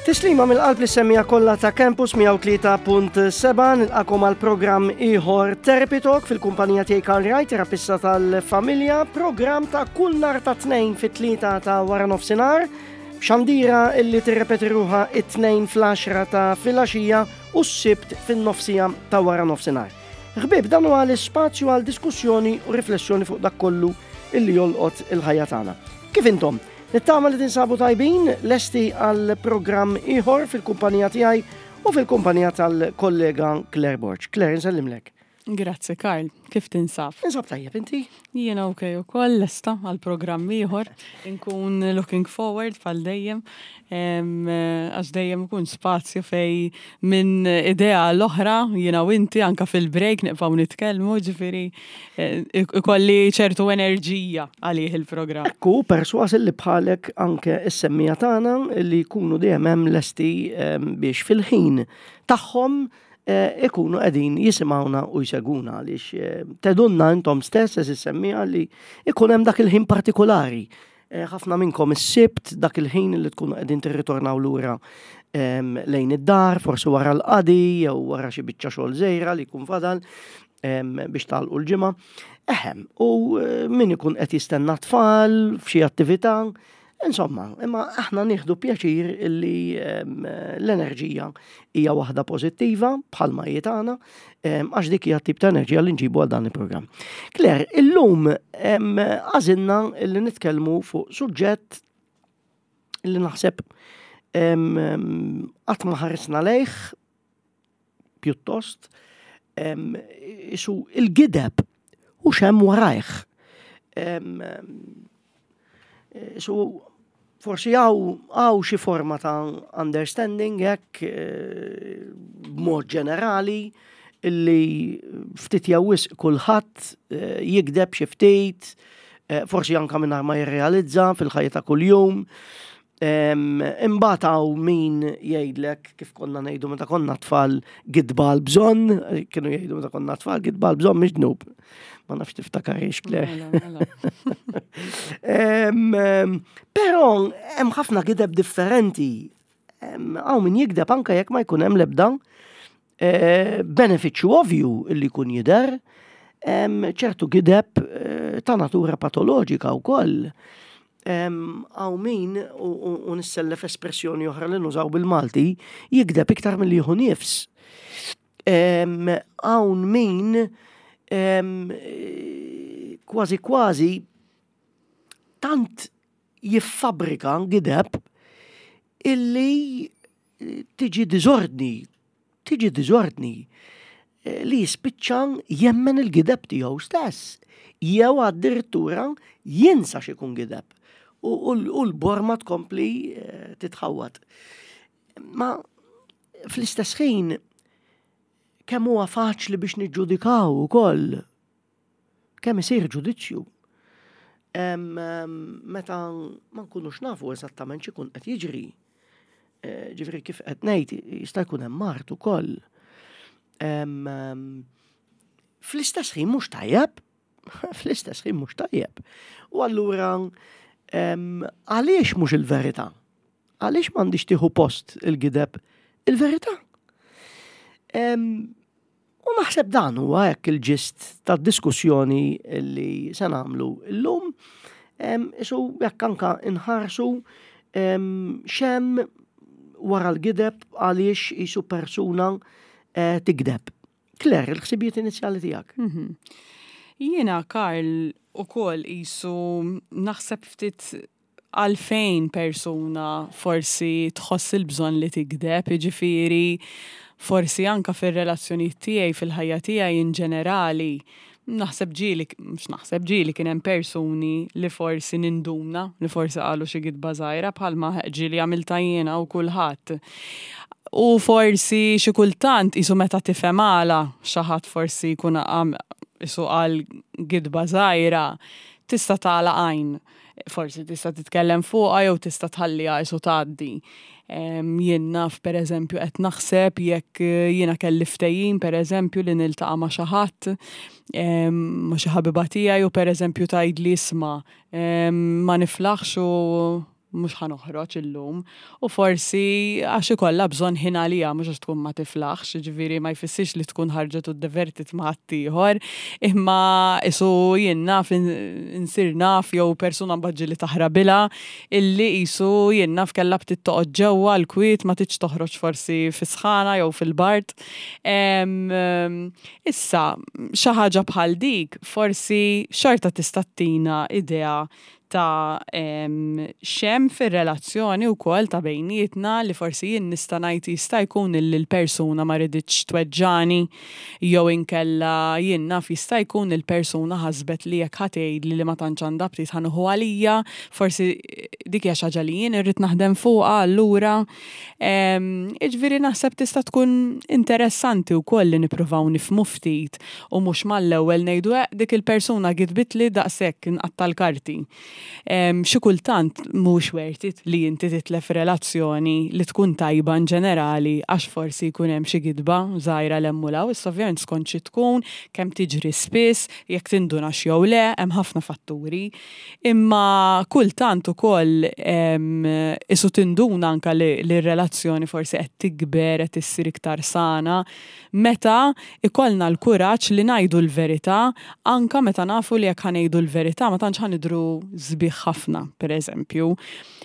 Tislima mill-qalb li semmija kollha ta' Campus 103.7 nilqakom għal programm ieħor Therapy Talk fil-kumpanija tiegħi Karl Wright, terapista tal-familja, programm ta' kull nar ta' tnejn fit-tlieta ta' wara nofsinhar, xandira illi tirrepeti ruħha it-tnejn fl-10 ta' filgħaxija u s-sibt fin-nofsija ta' wara nofsinhar. Ħbieb, dan huwa l-ispazju għal diskussjoni u riflessjoni fuq dak kollu illi jolqot il-ħajja tagħna. Kif intom? Nittama li tinsabu tajbin, lesti għal programm ieħor fil-kumpanija tiegħi u fil-kumpanija tal-kollega Claire Borg. Claire, nsellimlek. Grazzi Karl, kif tinsab? Insab tajjeb inti? Jiena ok ukoll lesta għal programm ieħor, inkun looking forward bħal dejjem, għax dejjem ikun spazju fej minn idea l-oħra jiena u inti anka fil-break nibqgħu nitkellmu, ġifieri ikolli ċertu enerġija għalih il-programm. Ekku, perswas li bħalek anke is-semmija tagħna li jkunu dejjem hemm lesti biex fil-ħin tagħhom eh, ikunu qegħdin jisimgħuna u jseguna għaliex eh, tedunna intom stess eżis semmija li ikun hemm dak il-ħin partikolari. Eh, ħafna minnkom is-sibt dak il-ħin li tkunu qegħdin tirritornaw lura ehm, lejn id-dar, forsi wara l-qadi jew wara xi biċċa xogħol żejra li jkun fadal ehm, biex tagħlqu l-ġimgħa. Eħem, u min ikun qed jistenna tfal f'xi attività, Insomma, imma aħna nieħdu pjaċir illi ehm, l-enerġija hija waħda pożittiva bħalma hi tagħna, ehm, għax dik hija tip ta' enerġija li nġibu għal dan il-programm. Claire, illum ehm, għażilna li nitkellmu fuq suġġett li naħseb qatt ma ħarisna lejh pjuttost isu il-gideb u xem warajh. Isu forsi għaw xi forma ta' understanding hekk eh, b'mod ġenerali illi ftit jew wisq kulħadd eh, jigdeb xi ftit, eh, forsi anka mingħajr ma jirrealizza fil-ħajja ta' kuljum. Imbagħad hawn min jgħidlek kif konna ngħidu meta konna tfal gidba għal bżonn, kienu jgħidu meta konna tfal gidba għal bżonn mhix dnub. Ma nafx tiftakarix Claire. Mela, mela. Però hemm ħafna gideb differenti. Hawn min jigdeb anke jekk ma jkun hemm l-ebda eh, benefiċċju ovvju li jkun jidher, ċertu gideb eh, ta' natura patoloġika wkoll. Hawn min, u nissellef espressjoni oħra li nużaw bil-Malti, jigdeb iktar milli jieħu nifs. Hawn min kważi kważi tant jiffabrika gideb illi tiġi diżordni, tiġi diżordni eh, li jispiċċa jemmen il-gideb tiegħu stess, jew addirittura jinsa x'ikun gideb u l-borma tkompli eh, titħawwad. Ma fl-istess ħin kemm huwa faċli biex niġġudikaw ukoll Kemm isir ġudizzju meta ma nkunux nafu eżattament x'ikun qed jiġri. Eh, ġifieri kif qed ngħid jista' jkun hemm mart ukoll. Fl-istess ħin mhux tajjeb, fl-istess ħin mhux tajjeb. U allura għaliex mhux il-verità? Għaliex m'għandix tieħu post il-gideb il-verità? U naħseb dan huwa hekk il-ġist tad-diskussjoni li se nagħmlu llum. Isu jekk anka nħarsu xem wara l-gideb għaliex isu persuna eh, tigdeb. Claire, il-ħsibijiet inizjali tiegħek. Mhm. Jiena Karl ukoll isu naħseb ftit għalfejn persuna forsi tħoss il-bżonn li tigdeb, jiġifieri forsi anke fir-relazzjonijiet tiegħi, fil-ħajja tiegħi in ġenerali, naħseb ġieli, mhux naħseb, ġieli kien hemm persuni li forsi ninduna li forsi qalu xi gidba żgħira bħalma ġieli għamiltha jiena u kulħadd. U forsi xi kultant qisu meta tifhem għala xi ħadd forsi jkun qisu qal gidba żgħira, tista' tagħlaq għajn. Forsi tista' titkellem fuqha jew tista' tħalliha qisu tgħaddi. Jien naf pereżempju qed naħseb jekk jiena kelli ftehim pereżempju li niltaqa' ma' xi ħadd, ma' xi ħabiba tiegħi u pereżempju tgħidli isma' ma niflaħx u. mhux ħa noħroġ illum. U forsi għax ikollha bżonn ħin għaliha mhux għax tkun ma tiflaħx, jiġifieri ma jfissirx li tkun ħarġet u ddevertiet ma' ħaddieħor, imma qisu jien naf insir naf jew persuna mbagħad ġieli taħrabilha illi qisu jien naf kellha ftit toqgħod ġewwa l-kwiet ma tridx toħroġ forsi fis-sħana jew fil-bard. Issa, xi ħaġa bħal dik forsi xorta tista' ttina idea ta' x'hemm fir-relazzjoni wkoll ta' bejnietna li forsi jien nista' ngħid jista' jkun illi l-persuna ma riditx tweġġagħni jew inkella jien naf jista' jkun il-persuna ħasbet li jekk ħa tgħidli li ma tantx għandha aptit ħa nieħu għalija, forsi dik hija xi ħaġa li jien irrid naħdem fuqha allura. Jiġifieri naħseb tista' tkun interessanti wkoll li nippruvaw nifhmu ftit U mhux mal-ewwel ngħidu eqq dik il-persuna gidbitli daqshekk nqatta' l-karti. Xi kultant mhux worth it li inti titlef relazzjoni li tkun tajba in ġenerali għax forsi jkun hemm xi gidba żgħira 'l hemm u 'l hawn. Issa ovvjament skont xi tkun, kemm tiġri spiss, jekk tindunax jew le, hemm ħafna fatturi. Imma kultant ukoll qisu tinduna anke li r-relazzjoni forsi qed tikber, qed issir iktar sana Meta ikollna l-kuraġġ li ngħidu l-verità anke meta nafu li jekk ħa ngħidu l-verità ma tantx ħa nidhru sbieħ ħafna, pereżempju.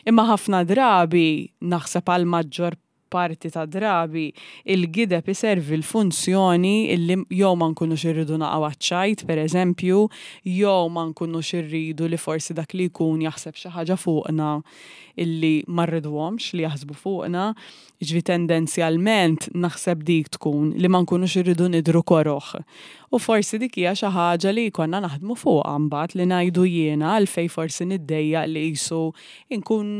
Imma ħafna drabi, naħseb għall-maġġor parti tad-drabi, il-gideb iservi l-funzjoni illi jew ma nkunux irridu naqgħu għaċ-ċajt, pereżempju, jew ma nkunux irridu li forsi dak li jkun jaħseb xi ħaġa fuqna illi ma rriduhomx li jaħsbu fuqna. Jiġifieri tendenzjalment naħseb dik tkun li ma nkunux irridu nidhru koroh. U forsi dik hija xi ħaġa li jkollna naħdmu fuqha mbagħad li ngħidu jiena għalfejn forsi niddejjaq li qisu nkun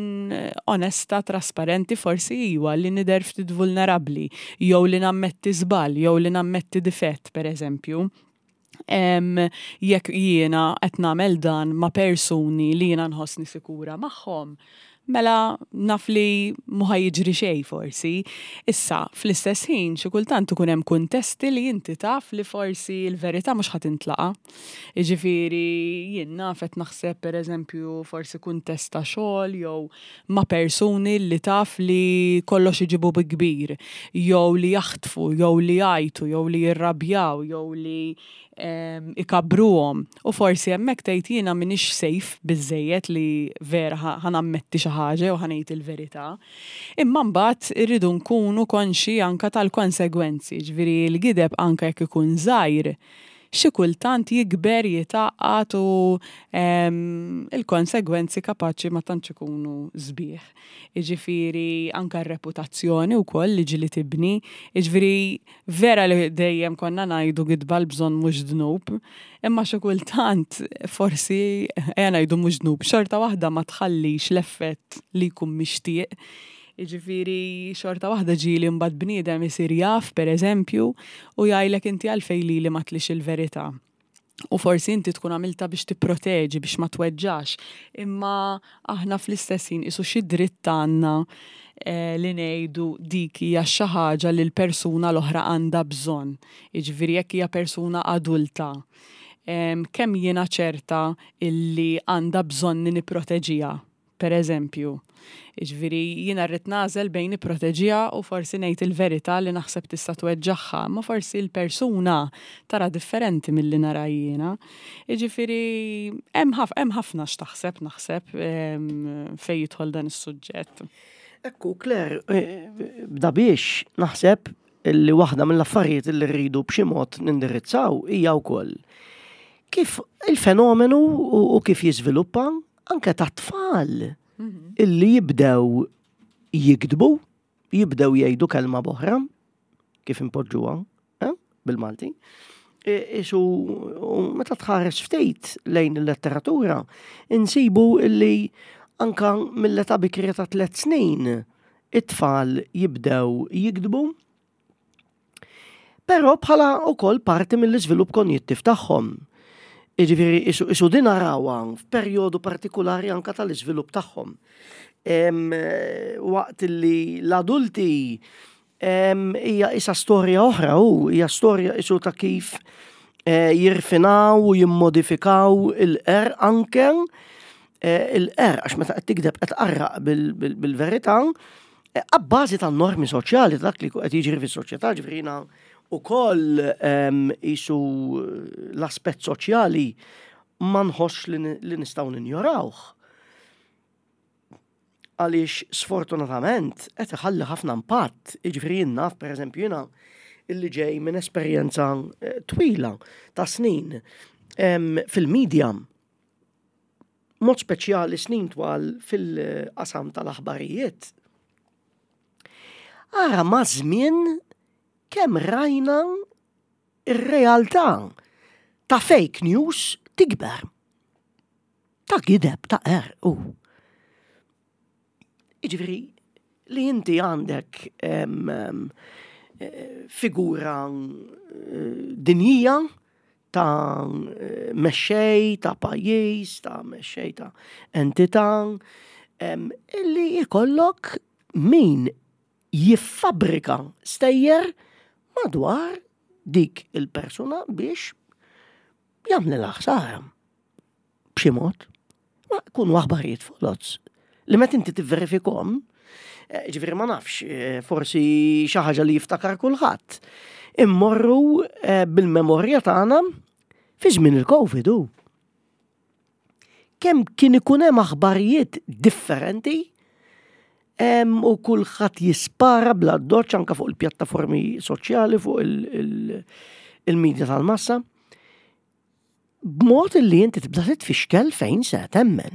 onesta, trasparenti forsi iwa li nidher ftit vulnerabbli jew li nammetti żball jew li nammetti difett pereżempju. Jekk jiena qed nagħmel dan ma' persuni li jiena nħossni sikura magħhom, mela naf li mhu ħa jiġri xejn forsi. Issa, fl-istess ħin, xi kultant ikun hemm kuntesti li inti taf li forsi l-verità mhux ħa tintlaqa'. Jiġifieri jien naf qed naħseb pereżempju forsi kuntest ta' xogħol jew ma' persuni li taf li kollox iġibu bi kbir, jew li jaħtfu, jew li jgħajtu, jew li jirrabjaw, jew li ikabbruhom. U forsi hemmhekk tgħid jiena m'iniex safe biżżejjed li vera ħa nammetti xi ħaġa jew ħa ngħid il-verità. Imma mbagħad irridu nkunu konxji anke tal-konsegwenzi, jiġifieri l-gideb anke jekk ikun żgħir, xi kultant jikber, jitgħaqqad u l-konsegwenzi kapaċi ma tantx ikunu sbieħ. Jiġifieri anke r-reputazzjoni wkoll li ġieli tibni. Jiġifieri vera li dejjem konna ngħidu gidba l-bżonn mhux dnub, imma xi kultant forsi ejja ngħidu mhux dnub, xorta waħda ma tħallix l-effett li jkun mixtieq. Jiġifieri xorta waħda ġieli mbagħad bniedem isir jaf, pereżempju, u jgħidlek inti għalfejn lili ma tlix il-verità. U forsi inti tkun għamiltha biex tipproteġi, biex ma tweġġax, imma aħna fl-istess ħin qisu xi dritt għandna eh, li ngħidu dik hija xi ħaġa li l-persuna l-oħra għandha bżonn. Jiġifieri jekk hija persuna adulta, kemm jiena ċerta illi għandha bżonni nipproteġiha Per eżempju, jiġifieri jiena rrid nagħżel bejn nipproteġiha u forsi ngħid il-verità li naħseb tista' tweġġagħha, imma forsi l-persuna tara differenti milli nara jiena. Jiġifieri hemm hemm ħafna x'taħseb naħseb fejn jidħol dan is-suġġett. Ekku, Claire, bda biex naħseb li waħda mill-affarijiet li rridu b'xi mod nindirizzaw hija wkoll kif il-fenomenu u kif jiżviluppa anke ta' tfal mhm. illi jibdew jikdbu, jibdew jgħidu kelma boħra, kif impoġġuha eh, bil-Malti. E, isu meta tħares ftit lejn il-letteratura, insibu illi anka mill-età bikrija ta' tliet snin it-tfal jibdew jikdbu Però bħala wkoll parti mill-iżvilupp konjittiv tagħhom. Jiġifieri isu din narawha f'perjodu partikulari anka tal-iżvilupp tagħhom. Waqt li l-adulti hija isa storja oħra u hija storja isu ta' kif eh, jirfinaw u jimmodifikaw il-qerq anke. il-qerq, għax meta qed tikdeb qed tqarraq bil-verità, abbażi tan-normi soċjali ta' dak li qed jiġri fis-soċjetà, ġifieri jiena wkoll qisu l-aspett soċjali ma nħossx li nistgħu ninjorawh. Għaliex sfortunatament qed iħalli ħafna impatt, jiġifieri jien naf pereżempju jiena illi ġej minn esperjenza twila ta' snin fil-media, mod speċjali snin twal fil-qasam tal-aħbarijiet. Ara ma' żmien kemm rajna ir-realtà ta' fake news tikber. Ta' gideb, ta' qerq u. Jiġifieri li inti għandek figura dinjija ta' mexxej ta' pajjiż, ta' mexxej ta' entità, illi jkollok min jiffabbrika stejjer madwar dik il-persuna biex jagħmlilha ħsara. B'xi mod. Ma jkunu aħbarijiet foloz li meta inti tivverifikhom, eh, ġifieri ma nafx, eh, forsi xi ħaġa li jiftakar kulħadd. Immorru eh, bil-memorja tagħna fi żmien il-Covid u. Kemm kien ikun hemm aħbarijiet differenti u kulħadd jispara bla doċ anka fuq il-pjattaformi soċjali, fuq il-medja tal-massa. B'mod li inti tibda titfixkel fejn se temmen.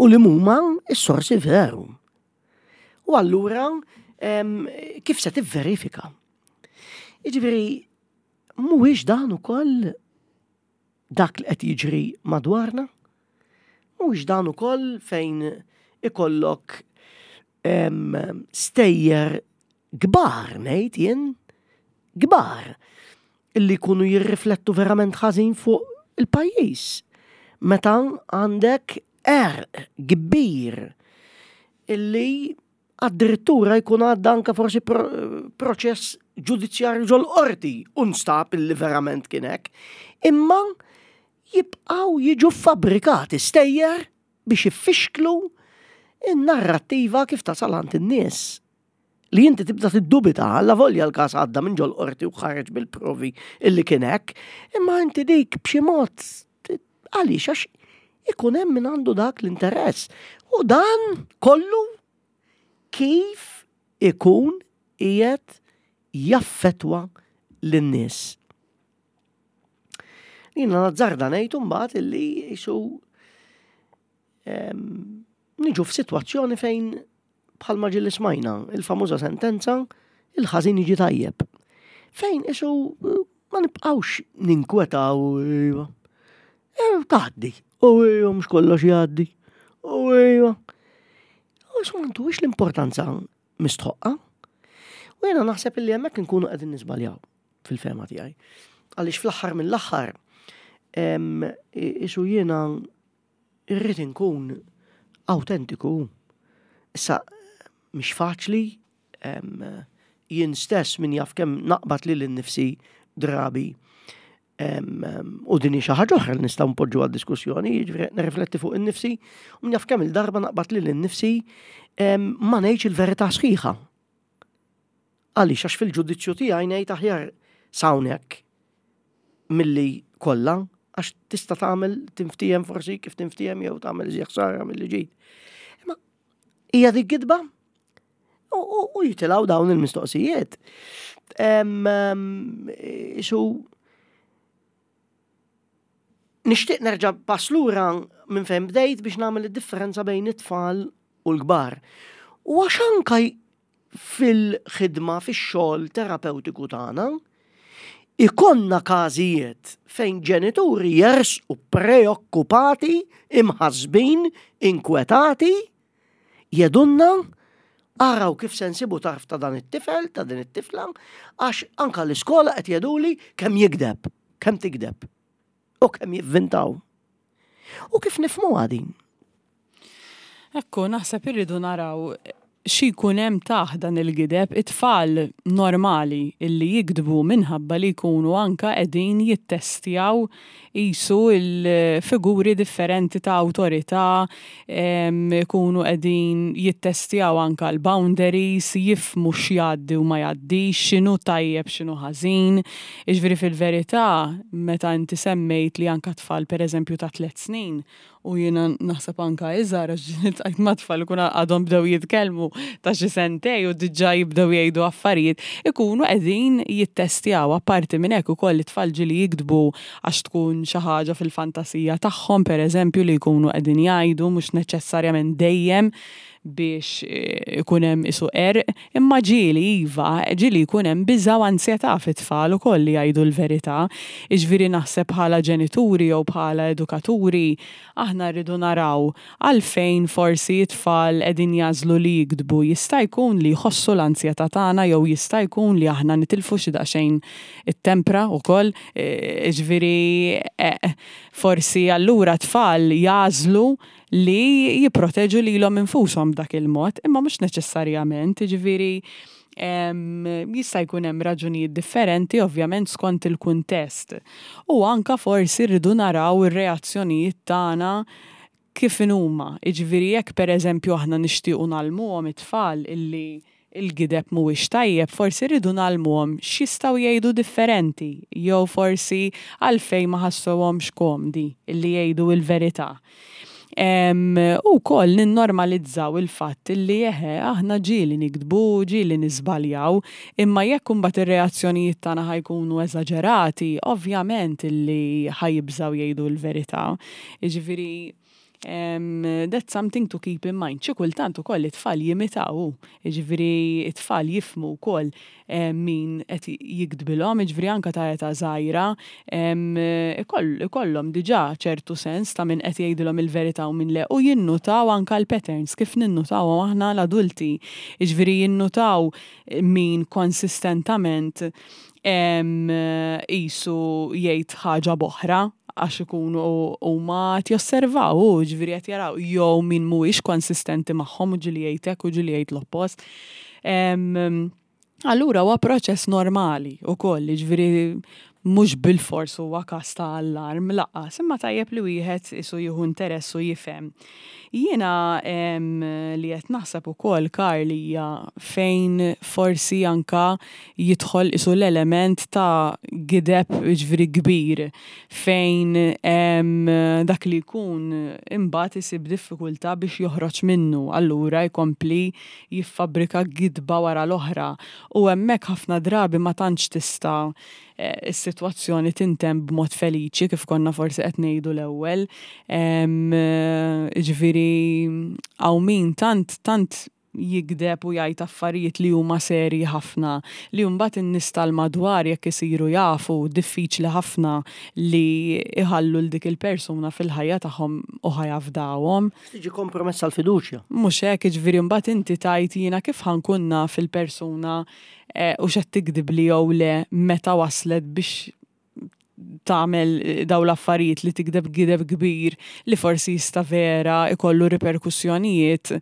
U li huma s-sorsi veru. U allura kif se tivverifika? Jiġifieri mhuwiex dan ukoll dak li qed jiġri madwarna? Mhuwiex dan ukoll fejn ikollok stejjer kbar ngħid jien, kbar illi jkunu jirriflettu verament ħażin fuq il-pajjiż. Meta għandek qerq kbir illi addirittura jkun għadda anka forsi proċess ġudizzjarju ġol-qorti u nstab illi verament kien hekk. Imma jibqgħu jiġu fabbrikati stejjer biex iffixklu n-narrattiva kif tasal għand in-nies. Li inti tibda tiddubita, alla volja l-każ għadda minn ġol qorti u ħareġ bil-provi illi kien hekk, imma inti dik b'xi mod għaliex għax ikun hemm min għandu dak l-interess. U dan kollu kif ikun qiegħed jaffettwa lin-nies. Jiena nazzarda ngħid imbagħad illi jisu niġu f'sitwazzjoni fejn bħalma ġieli smajna il-famuża sentenza il-ħażin jiġi tajjeb. Fejn isu ma nibqgħux ninkwetaw iva. E, tgħaddi, u iva mhux kollox jgħaddi. U iva. U isu m'għandux l-importanza mistħoqqa. U jiena naħseb illi hemmhekk inkunu qegħdin niżbaljaw fil-fehma tiegħi. Għaliex fl-aħħar mill-aħħar isu jiena irrid inkun awtentiku. Issa mhix faċli jien stess min jaf kemm naqbad lili nnifsi drabi u din hi xi ħaġa oħra li nistgħu npoġġu għad diskussjoni, jiġifieri nirrifletti fuq innifsi, u min jaf kemm il-darba naqbad lili nnifsi ma ngħidx il-verità sħiħa. Għaliex għax fil-ġudizzju tiegħi ngħid aħjar s'hawnhekk milli kollha għax tista' tagħmel tinftiehem forsi kif tinftiehem jew tagħmel iżjed ħsara milli ġid. Imma hija dik gidba? U jitilgħu dawn il-mistoqsijiet. Isu nixtieq nerġa' pass lura minn fejn bdejt biex nagħmel id-differenza bejn it-tfal u l-kbar. U għax anka fil-ħidma fix-xogħol terapewtiku tagħna, ikollna każijiet fejn ġenituri jersqu preokkupati, imħassbin, inkwetati, jgħidulna araw kif se nsibu tarf ta' dan it-tifel, ta' din it-tifla, għax anka l-iskola qed jgħiduli kemm jigdeb, kemm tigdeb u kemm jivvintaw. U kif nifhmuha din? Ekku, naħseb irridu naraw. Xi jkun hemm taħt dan il-gideb, it-tfal normali illi jigdbu minħabba li jkunu anka qegħdin jittestjaw qisu l-figuri differenti ta' awtorità, ikunu qegħdin jittestjaw anka l-boundaries, jifhmu x'jgħaddi u ma jgħaddix, x'inhu tajjeb x'inhu ħażin. Jiġifieri fil-verità meta inti semmejt li anka tfal pereżempju ta' tlett snin U jiena naħseb anka iżgħar għax iltqajt ma' tfal ikun għadhom bdew jitkellmu ta' xi sentej u diġà jibdew jgħidu affarijiet, ikunu qegħdin jittestjaw. Apparti minn hekk ukoll it-tfal ġieli jiktbu għax tkun xi ħaġa fil-fantasija tagħhom pereżempju li jkunu qegħdin jgħidu mhux neċessarjament dejjem biex ikun hemm qisu qerq, imma ġieli iva, ġieli jkun hemm biża' u anzjetà fit-tfal ukoll li jgħidu l-verità. Jiġifieri naħseb bħala ġenituri jew bħala edukaturi aħna rridu naraw għalfejn forsi t-tfal qegħdin jagħżlu li jigdbu. Jista' jkun li jħossu l-anzjetà tagħna jew jista' jkun li aħna nitilfu xi daqsxejn it-tempra wkoll, jiġifieri forsi allura t-tfal jagħżlu li jipproteġu lilhom infushom b'dak il-mod, imma mhux neċessarjament, jiġifieri jista' jkun hemm raġunijiet differenti ovvjament skont il-kuntest. U anka forsi rridu naraw ir-reazzjonijiet tagħna kif inhuma. Jiġifieri jekk pereżempju aħna nixtiequ ngħallmuhom it-tfal illi il-gideb mhuwiex tajjeb, forsi rridu ngħallmuhom x'jistgħu jgħidu differenti jew forsi għalfejn ma ħassewhomx komdi illi jgħidu l-verità. U wkoll ninnormalizzaw il-fatt illi eħe aħna ġieli nigdbu, ġieli niżbaljaw, imma jekk imbagħad ir-reazzjonijiet tagħna ħa jkunu eżaġerati, ovvjament illi ħa jibżgħu jgħidu l-verità. Jiġifieri That's something to keep in mind. Xi kultant ukoll it-tfal jimitaw, jiġifieri it-tfal jifhmu wkoll min qed jigdbilhom, jiġifieri anke ta' età żgħira ikollhom diġà ċertu sens ta' min qed jgħidilhom il-verità u min le u jinnutaw anke l-patterns kif ninnutawhom aħna l-adulti. Jiġifieri jinnutaw min konsistentament qisu jgħid ħaġa b'oħra għax ikunu huma qed josservaw u ġifieri qed jaraw jew min mhuwiex konsistenti magħhom u ġieli jgħid hekk u ġieli jgħid l-oppost. Allura huwa proċess normali wkoll, jiġifieri mhux bilfors huwa każ ta' allarm lanqas, imma tajjeb li wieħed isu jieħu interess u jifhem. Jiena li qed naħseb ukoll Karl hija fejn forsi anka jidħol isu l-element ta' gideb jiġifieri kbir fejn dak li jkun imbagħad isib diffikultà biex joħroġ minnu allura jkompli jiffabbrika gidba wara l-oħra u hemmhekk ħafna drabi ma tantx tista' is-sitwazzjoni tintemm b'mod feliċi kif konna forsi qed ngħidu l-ewwel. Jiġifieri hawn min tant tant jigdeb u jgħid affarijiet li huma serji ħafna li mbagħad in-nies tal-madwar jekk isiru jafu diffiċli ħafna li jħallu 'l dik il-persuna fil-ħajja tagħhom u ħa jafdawhom. Tiġi kompromessa l-fiduċja. Mhux hekk, jiġifieri mbagħad inti tgħid jiena kif ħa nkun naf il-persuna hux qed tigdibli jew le meta waslet biex tagħmel dawn l-affarijiet li tigdeb gideb kbir li forsi jista' vera ikollu riperkussjonijiet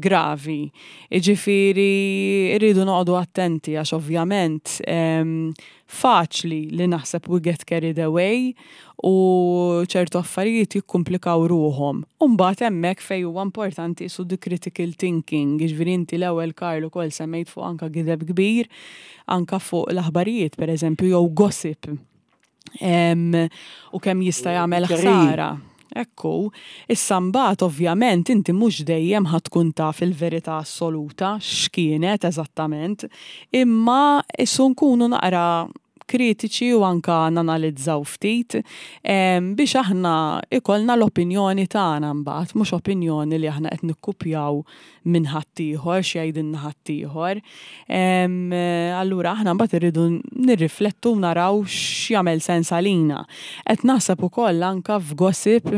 gravi. Jiġifieri rridu noqogħdu attenti għax ovvjament faċli li naħseb we get carried away u ċertu affarijiet jikkumplikaw ruħhom. U mbagħad hemmhekk fejn huwa importanti qisu the critical thinking, jiġifieri inti l-ewwel Karl ukoll semmejt fuq anka gideb kbir, anka fuq l-aħbarijiet pereżempju jew gossip. U kemm jista' jagħmel ħsara. Ekku. Issa mbagħad ovvjament inti mhux dejjem ħa tkun taf il-verità assoluta x'kienet eżattament, imma issu nkunu naqra kritiċi u anka nanalizzaw ftit biex aħna ikollna l-opinjoni tagħna mbagħad, mhux opinjoni li aħna qed nikkupjaw minn ħaddieħor x'jgħidilna ħaddieħor. Allura aħna mbagħad irridu nirriflettu u naraw x'jagħmel sens għalina. Qed naħseb ukoll anka f'gossip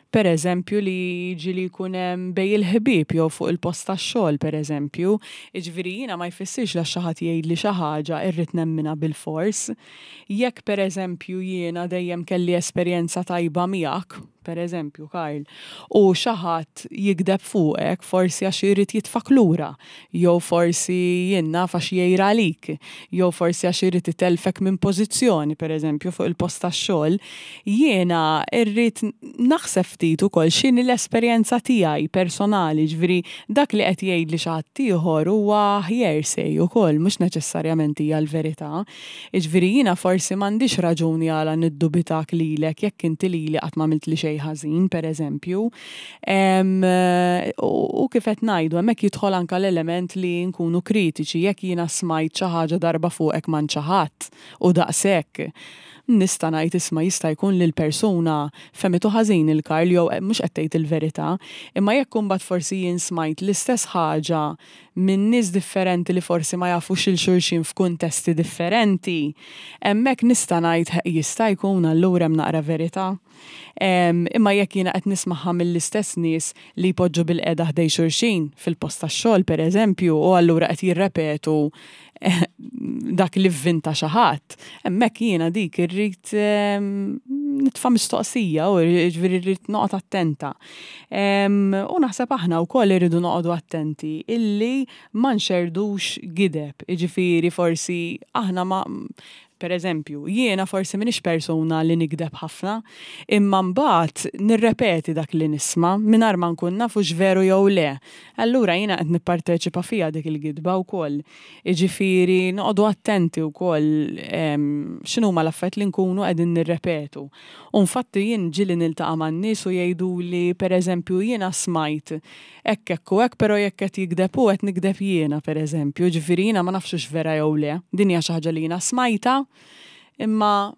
per eżempju li ġieli jkun hemm bejn il-ħbieb jew fuq il-post tax-xogħol per eżempju. Jiġifieri jiena ma jfissirx li għax xi ħadd jgħidli xi ħaġa irrid nemminha bilfors. Jekk per eżempju jiena dejjem kelli esperjenza tajba miegħek, per eżempju, Karl, u xi ħadd jigdeb fuqek forsi għax irid jitfgħek lura, jew forsi jien naf għax jgħir għalik, jew forsi għax irid itellfek minn pożizzjoni, per eżempju, fuq il-post tax-xogħol, jiena rrid naħseb ftit ukoll x'inhi l-esperjenza tiegħi personali, jiġifieri dak li qed jgħidli xi ħadd ieħor huwa hearsay ukoll, mhux neċessarjament hija l-verità. Jiġifieri jiena forsi m'għandix raġuni għala niddubitak lilek jekk inti lili qatt m'għamiltli xejn ħażin, pereżempju. U kif qed ngħidu, hemmhekk jidħol anke l-element li nkunu kritiċi, jekk jiena smajt xi ħaġa darba fuqek m'għand xi ħadd u daqshekk, nista' ngħid isma' jista' jkun li l-persuna fehmitu ħażin il Karl jew mhux qed tgħid il-verità. Imma jekk imbagħad forsi jien smajt l-istess ħaġa minn nies differenti li forsi ma jafux 'il xulxin f'kuntesti differenti, hemmhekk nista' ngħid jista' jkun allura hemm naqra verità. Imma jekk jiena qed nismagħha mill-istess nies li jpoġġu bilqiegħda ħdejn xulxin fil-post tax-xogħol pereżempju u allura qed jirrepetu dak li vvinta xi ħadd, hemmhekk jiena dik irrid nitfa' mistoqsija u jiġifieri rrid noqgħod attenta. U naħseb aħna wkoll irridu noqogħdu attenti illi ma nxerrdux gideb, jiġifieri forsi aħna ma Per eżempju, jiena forsi m'iniex persuna li nigdeb ħafna, imma mbagħad nirrepeti dak li nisma' mingħajr ma nkun naf hux veru jew le. Allura jiena qed nipparteċipa fiha dik il-gidba wkoll. Jiġifieri noqogħdu attenti wkoll x'inhuma l-affarijiet li nkunu qegħdin nirrepetu. U nfatti jien ġieli niltaqa' man-nies u jgħiduli pereżempju jiena smajt hekk hekk u hekk però jekk qed jigdeb hu qed nigdeb jiena pereżempju, jiġifieri jiena ma nafx hux vera jew le. Din hija xi ħaġa li jiena smajtha imma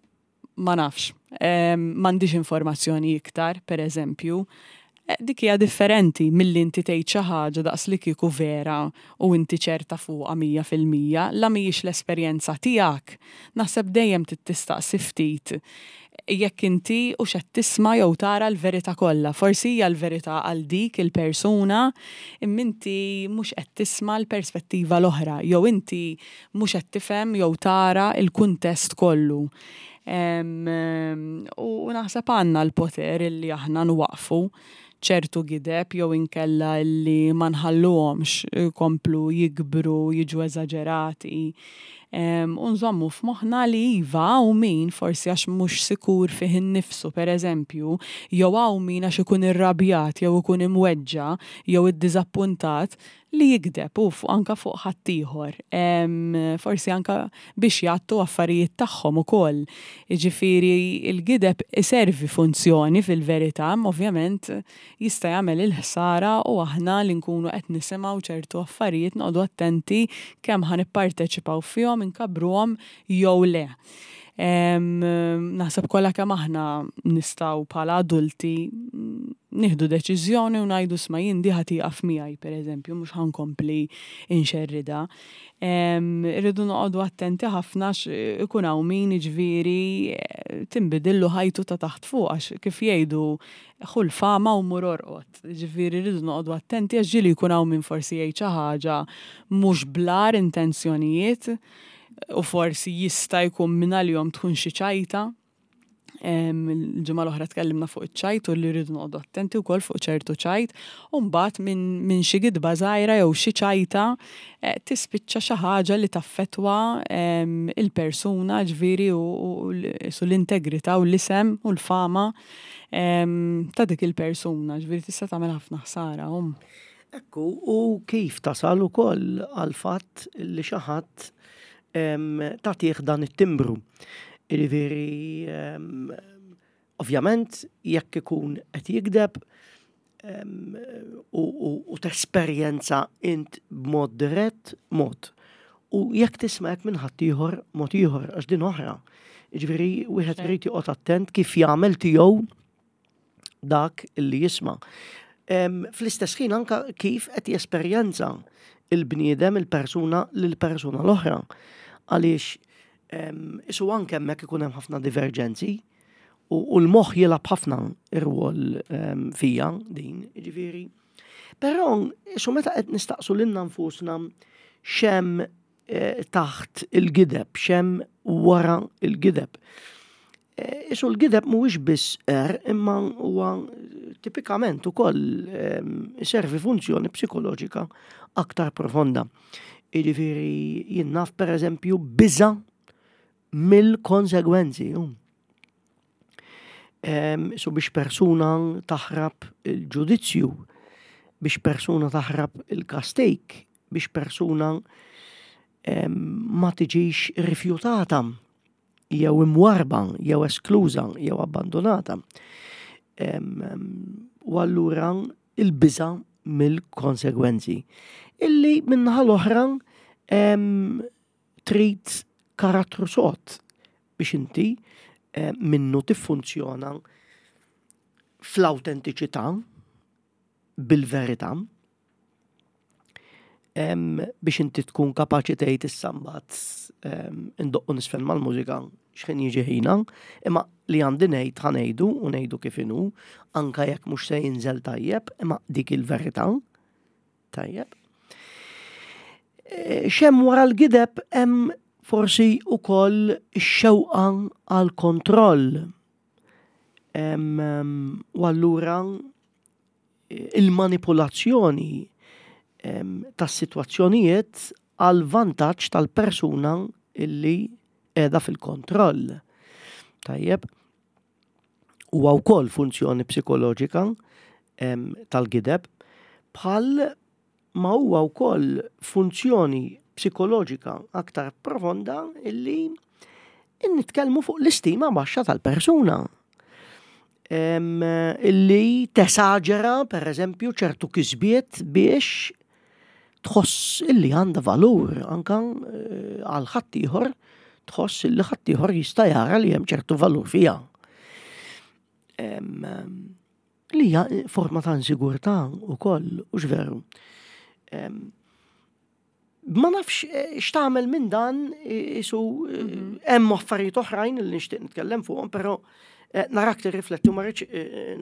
ma nafx. M'għandix informazzjoni iktar, pereżempju. Eh, dik hija differenti milli inti tgħid xi ħaġa daqs li kieku vera u inti ċerta fuqha 100%, la mhijiex l-esperjenza tiegħek. Naħseb dejjem trid tistaqsi ftit jekk inti hux qed tisma' jew tara l-verità kollha. Forsi hija l-verità għal dik il-persuna, imma inti mhux qed tisma' l-perspettiva l-oħra jew inti mhux qed tifhem jew tara l-kuntest kollu. U naħseb għandna l-poter illi aħna nwaqqfu ċertu gideb jew inkella illi ma nħalluhomx ikomplu jikbru, jiġu eżaġerati. U nżommu f'moħħna li iva hawn min forsi għax mhux sikur fih innifsu pereżempju, jew hawn min għax ikun irrabjat jew ikun imweġġa' jew iddiżappuntat li jigdeb hu fuq anke fuq ħaddieħor. Forsi anke biex jgħattu affarijiet tagħhom ukoll. Jiġifieri l-gideb iservi funzjoni fil-verità, imma ovvjament jista' jagħmel il-ħsara u aħna li nkunu qed nisimgħu ċertu affarijiet noqogħdu attenti kemm ħa nipparteċipaw fihom, inkabbruhom jew le. Naħseb kollha kemm aħna nistgħu bħala adulti nieħdu deċiżjoni u ngħidu sma' jien di ħa tieqaf miegħi pereżempju mhux ħa nkompli nxerridha. Irridu noqogħdu attenti ħafna għax ikun hawn min jiġifieri tinbidillu ħajtu ta' taħt fuq għax kif jgħidu ħu l-fama u mur orqod. Jiġifieri rridu noqogħdu attenti għax ġieli jkun hawn min forsi jgħid xi ħaġa mhux bl-agħar intenzjonijiet u forsi jista' jkun mingħalihom tkun xi ċajta. Il-ġimgħa l-oħra tkellimna fuq iċ-ċajt u li rridu noqogħdu attenti wkoll fuq ċertu ċajt. U mbagħad minn min xi gidba żgħira jew xi ċajta eh, tispiċċa xi ħaġa li taffettwa il-persuna ġifieri u l-integrità u l-isem u l-fama ta' dik il-persuna, ġifieri tista' tagħmel ħafna ħsara. Um. Ekku, u kif tasal ukoll għal fatt li xi ħadd tagħtih dan it-timbru. Jiġifieri ovvjament jekk ikun qed jigdeb u tesperjenza int b'mod dirett mod. U jekk tisma' hekk minn ħaddieħor mod ieħor għax din oħra. Jiġifieri wieħed irid joqgħod attent kif jagħmel tiegħu dak li jisma'. Fl-istess ħin anka kif qed jesperjenza il-bniedem, il-persuna lill-persuna l-oħra. Għaliex isu anke hemmhekk ikun hemm ħafna diverġenzi u l-moħħ jilgħab ħafna ir-rwol fija din, jiġifieri. Però isu meta qed nistaqsu lilna nfusna x'hemm eh, taħt il-gideb, x'hemm wara il-gideb. Isu l-gideb mhuwiex biss er, imma huwa tipikament ukoll iservi funzjoni psikoloġika aktar profonda. Jiġifieri jien naf pereżempju biża' mill-konsegwenzi. Su biex persuna taħrab il-ġudizzju, biex persuna taħrab il-kastik, biex persuna ma tiġix rifjutata jew imwarba, jew eskluża, jew abbandonata. U allura il-biża' mill-konsegwenzi. Illi minnaħa l-oħra trid karattru sod biex inti minnu tiffunzjona fl-awtentiċità bil-verità biex inti tkun kapaċi tgħid issa mbagħad indoqqu nisfen mal-mużika x'ħin jiġi ħina, imma li għandi ngħid ħa ngħidu u ngħidu kif inhu, anka jekk mhux se jinżel tajjeb, imma dik il-verità. Tajjeb. E, Xem wara l-gideb hemm forsi ukoll ix-xewqa għal kontroll. U allura il-manipulazzjoni tas-sitwazzjonijiet għal vantaġġ tal-persuna illi qiegħda fil-kontroll. Tajjeb, huwa wkoll funzjoni psikoloġika tal-gideb bħal ma huwa wkoll funzjoni psikoloġika aktar profonda illi nitkellmu fuq l-istima baxxa tal-persuna. Illi tesaġera, per eżempju, ċertu kisbiet biex tħoss illi għandha valur anka eh, għal ħaddieħor tħoss illi ħaddieħor jista' jara li hemm ċertu valur fiha. Li hija forma ta' insigurtà wkoll, hux veru. Ma nafx eh, x'tagħmel minn dan isu eh, mhm. hemm affarijiet oħrajn li nixtieq nitkellem fuqhom, però eh, narak tirrifletti u ma rridx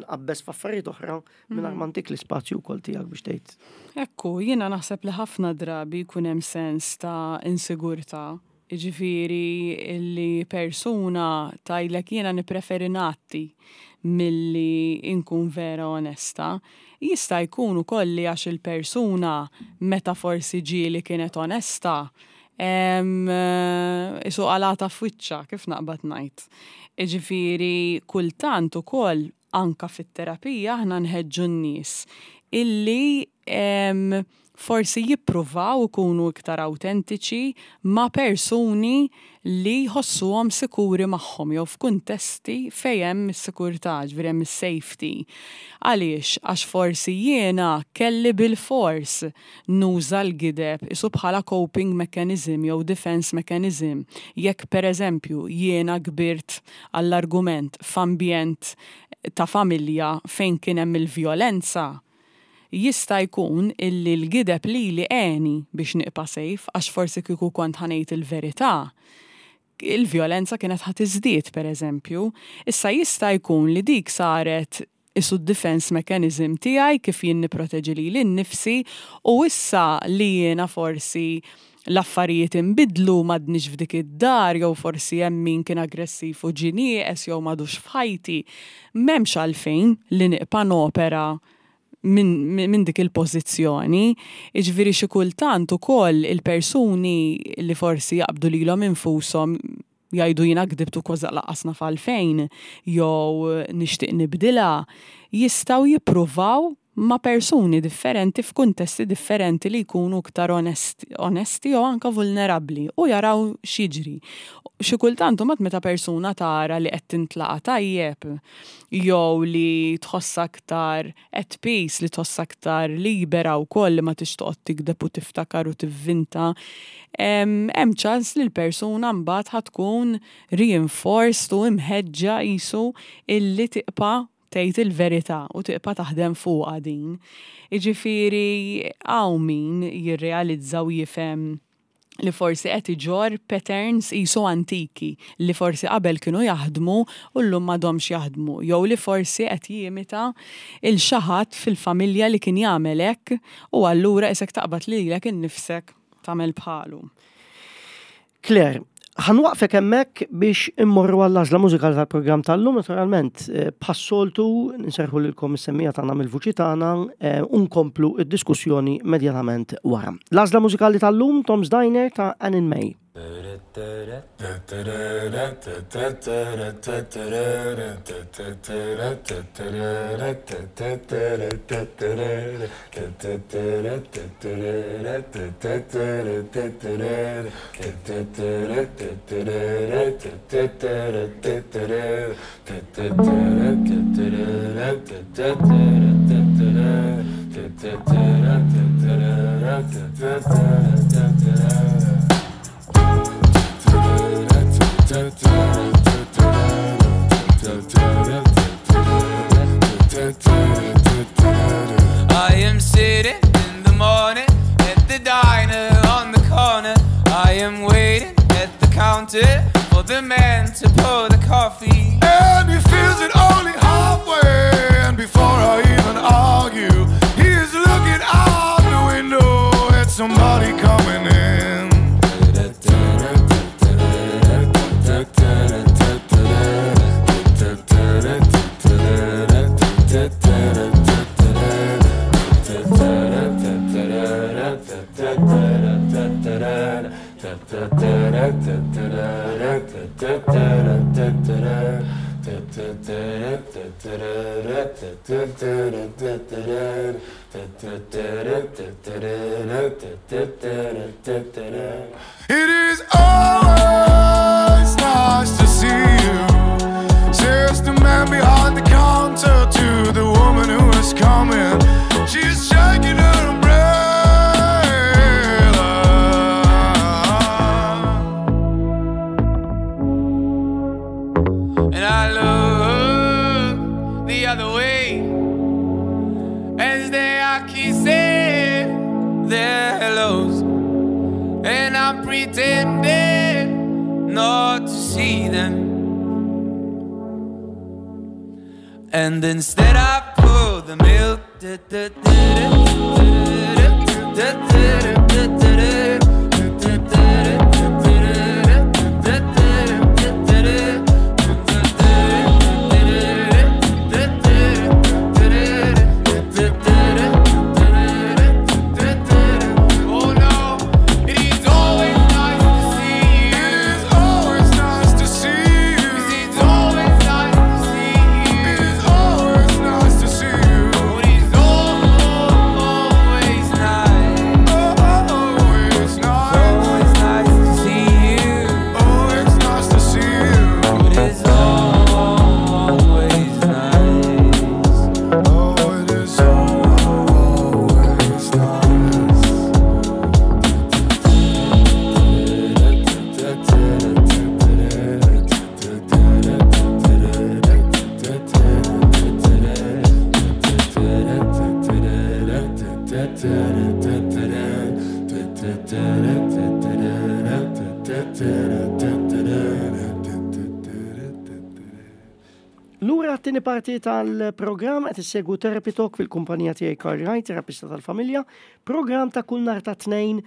nqabbeż f'affarijiet oħra mingħajr mhm. ma ntik l-ispazju wkoll tiegħek biex tgħid. Ekku, jiena naħseb li ħafna drabi jkun hemm sens ta' insigurtà Jiġifieri li persuna tgħidlek jiena nippreferi ngħatti milli nkun vera onesta. Jista' jkun ukoll li għax il-persuna meta forsi ġieli kienet onesta, isu qalgħatha f'wiċċha, kif naqbad ngħid. Jiġifieri kultant ukoll anke fit-terapija aħna nħeġġu n-nies illi forsi jippruvaw ikunu iktar awtentiċi ma' persuni li jħossuhom sikuri magħhom jew f'kuntesti fejn hemm is-sikurtà, ġifieri hemm is-safety. Għaliex? Għax forsi jiena kelli bilfors nuża l-gideb isu bħala coping mechanism jew defence mechanism. Jekk pereżempju jiena kbirt għall-argument f'ambjent ta' familja fejn kien hemm il-vjolenza, jista' jkun illi l-gideb lili għeni biex nibqa' safe għax forsi kieku kont ħa ngħid il-verità, il-vjolenza kienet ħa tiżdied pereżempju. Issa jista' jkun li dik saret isu d-defense mechanism tiegħi kif jien nipproteġi lili nnifsi u issa li jiena forsi l-affarijiet inbidlu m'għadnix f'dik id-dar jew forsi hemm min kien aggressiv u ġie nieqes jew m'għadux f'ħajti, m'hemmx għalfejn li nibqa' nopera minn min dik il-pożizzjoni. Jiġifieri xi kultant ukoll il-persuni li forsi jaqbdu lilhom infushom jgħidu jiena gdibt u kważi lanqas naf għalfejn jew nixtieq nibdilha, jistgħu jippruvaw ma' persuni differenti f'kuntesti differenti li jkunu iktar onesti jew anke vulnerabbli u jaraw x'jiġri. Xi kultant imbagħad meta persuna tara li qed tintlaqa' tajjeb jew li tħossha aktar at peace, li tħossha aktar libera wkoll li ma tridx toqgħod tigdeb u tiftakar u tivvinta, hemm ċans li l-persuna mbagħad ħa tkun reinforced u imħeġġa qisu illi tibqa' tgħid il-verità u tibqa' taħdem fuqha din. Jiġifieri hawn min jirrealizza u jifhem li forsi qed iġorr patterns qisu antiki li forsi qabel kienu jaħdmu u llum m'għadhomx jaħdmu jew li forsi qed jimita 'l xi ħadd fil-familja li kien jagħmel hekk u allura qisek taqbad lilek innifsek tagħmel bħalu. Claire, Ħa nwaqfek hemmhekk biex immorru għall-għażla mużikali tal-programm tal-lum, naturalment, eh, bħas-soltu nserħu lilkom is-semmija tagħna mill-vuċi tagħna eh, u nkomplu id-diskussjoni immedjatament wara. L-għażla mużikali tal-lum Tom's Diner ta' Annin May. I am sitting in the morning at the diner on the corner. I am waiting at the counter for the man to pour the coffee. And he fills it only halfway. And before I even argue, he is looking out the window at somebody coming in. It is always nice to see you, says the man behind the counter to the woman who is coming. She's shaking her umbrella. And I look the other way as they are kissing their hellos. And I'm pretending not to see them. And instead I pour the milk. Oh no, it is always nice to see you. It is always nice to see you. It's always nice to see you. It is always nice to see you. But it's always nice. Always nice. Always nice to see you. Oh, it's nice to see you. But it's always nice. Oh, it is always nice. Lura t-tieni parti tal-programm qed issegwu Therapy Talk fil-kumpanija tiegħi Karl Wright, terapista tal-familja, programm ta' kull nhar ta' tnejn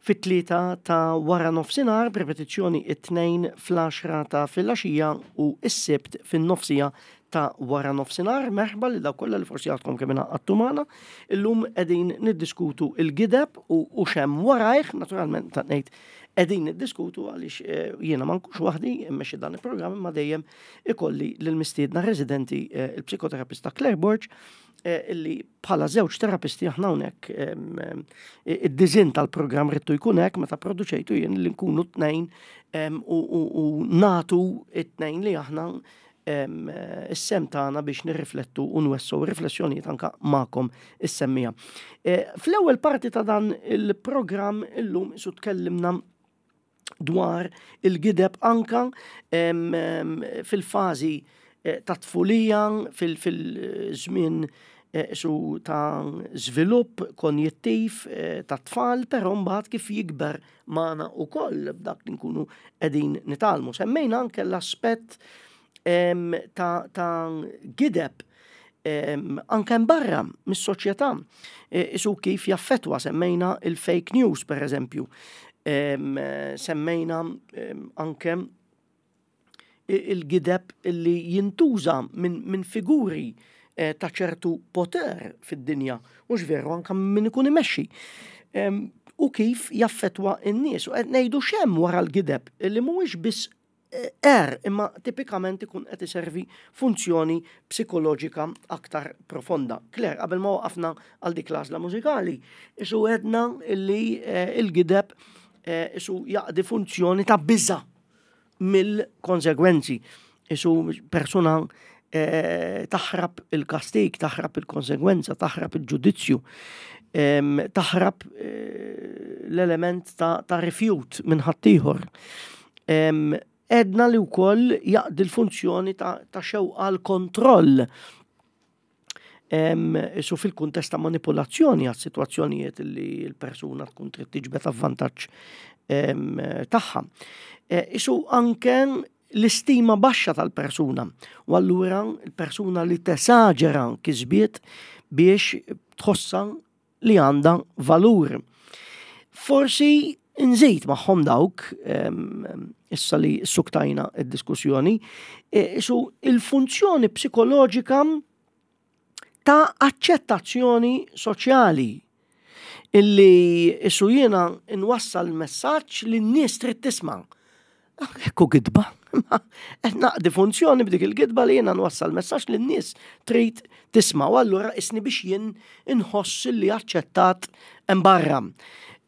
fit-tlieta ta' wara nofsinhar, b'repetizzjoni it-tnejn fl-10 ta' filgħaxija u s-Sibt fin-nofsija ta' wara nofsinhar. Merħba lil dawk kollha li forsi għadkom kemm ingħaqadtu magħna. Illum qegħdin niddiskutu il-gideb u u x'hemm warajh, naturalment ta' ngħid qegħdin niddiskutu għaliex eh, jiena ma nkunx waħdi immexxi dan il-programm imma dejjem ikolli lill-mistiedna residenti eh, il-psikoterapista Claire Borg eh, illi bħala żewġ terapisti aħna hawnhekk id-diżin tal-programm rittu jkun hekk meta produċejtu jien li nkunu tnejn u natu it-tnejn li aħna is-sem tagħna biex nirriflettu u nwessu riflessjonijiet anka magħkom is-semmija. Eh, fl-ewwel parti ta' dan il-programm illum isu tkellimna dwar il-gideb anka fil-fażi eh, ta' tfulija, fil-żmien eh, su ta' żvilupp konjettiv ta' tfal, però mbagħad kif jikber magħna wkoll b'dak li nkunu qegħdin nitgħallmu. Semmejna anke l-aspett ta', ta gideb anke barra mis-soċjetà. E, isu kif jaffetwa semmejna il-fake news per eżempju. Semmejna anke il-gideb li jintuża minn figuri eh, ta' ċertu poter fid-dinja, mhux veru anke minn ikun imexxi. U kif jaffetwa n-nies u qed ngħidu x'hemm wara l-gideb li mhuwiex biss er imma tipikament ikun qed iservi funzjoni psikoloġika aktar profonda. Claire, qabel ma waqafna għal dik l-għażla mużikali, isu għedna li eh, il-gideb eh, isu jaqdi funzjoni ta' biża mill-konsegwenzi. Isu persuna eh, taħrab il-kastik, taħrab il-konsegwenza, taħrab il-ġudizzju, taħrab l-element ta' rifjut minn ħaddieħor. Għedna li wkoll jaqdi l-funzjoni ta' xewqa l-kontroll. Isu fil-kuntest ta' manipolazzjoni għas situazzjonijiet li l-persuna tkun trid tiġbed avvantaġġ tagħha. E, isu anke l-istima baxxa tal-persuna. U allura l-persuna li tesaġera kisbiet biex tħossa li għandha valur. Forsi nżid magħhom dawk, issa li suktajna id-diskussjoni, e, isu il-funzjoni psikoloġika ta' aċċettazzjoni soċjali illi isu jiena nwassal messaġġ li n-nies trid tisma'. Ekku gidba. Qed naqdi funzjoni b'dik il-gidba li jiena nwassal messaġġ li n-nies trid tisma' u allura isni biex jien inħoss li aċċettat hemm barra.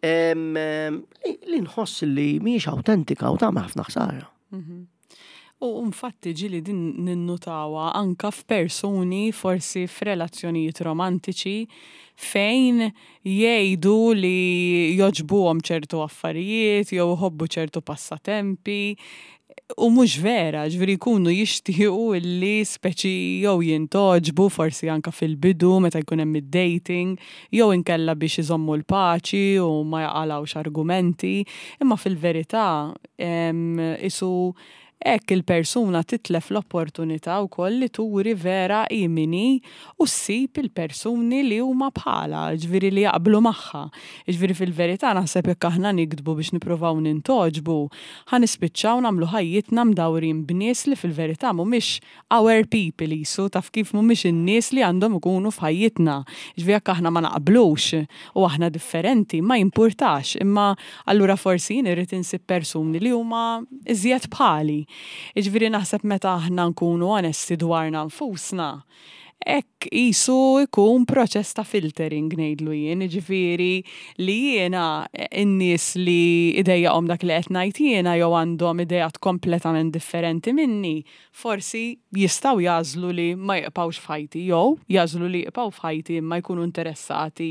Li nħoss li mhijiex awtentika u tagħmel ħafna ħsara. Mhm. U infatti ġili din ninnutawa anka f'persuni forsi f'relazzjonijiet romantiċi fejn jgħidu li jogħġbuhom ċertu affarijiet jew iħobbu ċertu passatempi u mhux vera, ġifieri jkunu jixtiequ illi speċi jew jintgħoġbu forsi anke fil-bidu meta jkun hemm id-dating jew inkella biex iżommu l-paċi u ma jaqalgħux argumenti, imma fil-verità isu Hekk il-persuna titlef l-opportunità wkoll li turi vera hi min hi u ssib il-persuni li huma bħalha, jiġifieri li jaqblu magħha. Jiġifieri fil-verità naħseb jekk aħna niktbu biex nippruvaw nintgħoġbu, ħa nispiċċaw nagħmlu ħajjitna mdawrin b'nies li fil-verità mhumiex our people qisu, taf kif mhumiex in-nies li għandhom ikunu f'ħajjitna. Jiġifieri jekk aħna ma naqblux u aħna differenti ma jimpurtax, imma allura forsi jien irrid insib persuni li huma iżjed bħali. Jiġifieri naħseb meta aħna nkunu onesti dwarna nfusna, hekk qisu jkun proċess ta' filtering ngħidlu jien, jiġifieri li jiena n-nies li jdejjaqhom dak li qed ngħid jiena jew għandhom ideat kompletament differenti minni, forsi jistgħu jagħżlu li ma jibqgħux f'ħajti jew jagħżlu li jibqgħu f'ħajti imma jkunu interessati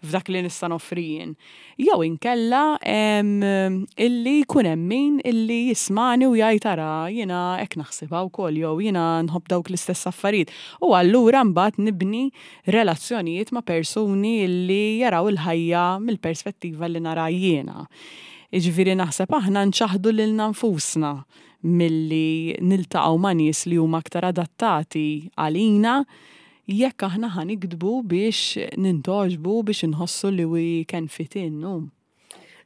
f'dak li nista' noffri jien. Jew inkella illi jkun hemm min illi jismagħni u jgħid ara jiena hekk naħsibha wkoll jew jiena nħobb dawk l-istess affarijiet. U allura mbagħad nibni relazzjonijiet ma' persuni illi jaraw il-ħajja mill-perspettiva li nara jiena. Jiġifieri naħseb aħna nċaħħdu lilna nfusna milli niltaqgħu ma' nies li huma aktar adattati għalina jekk aħna ħa nikdbu biex nintgħoġbu biex inħossu li we can fit in hu.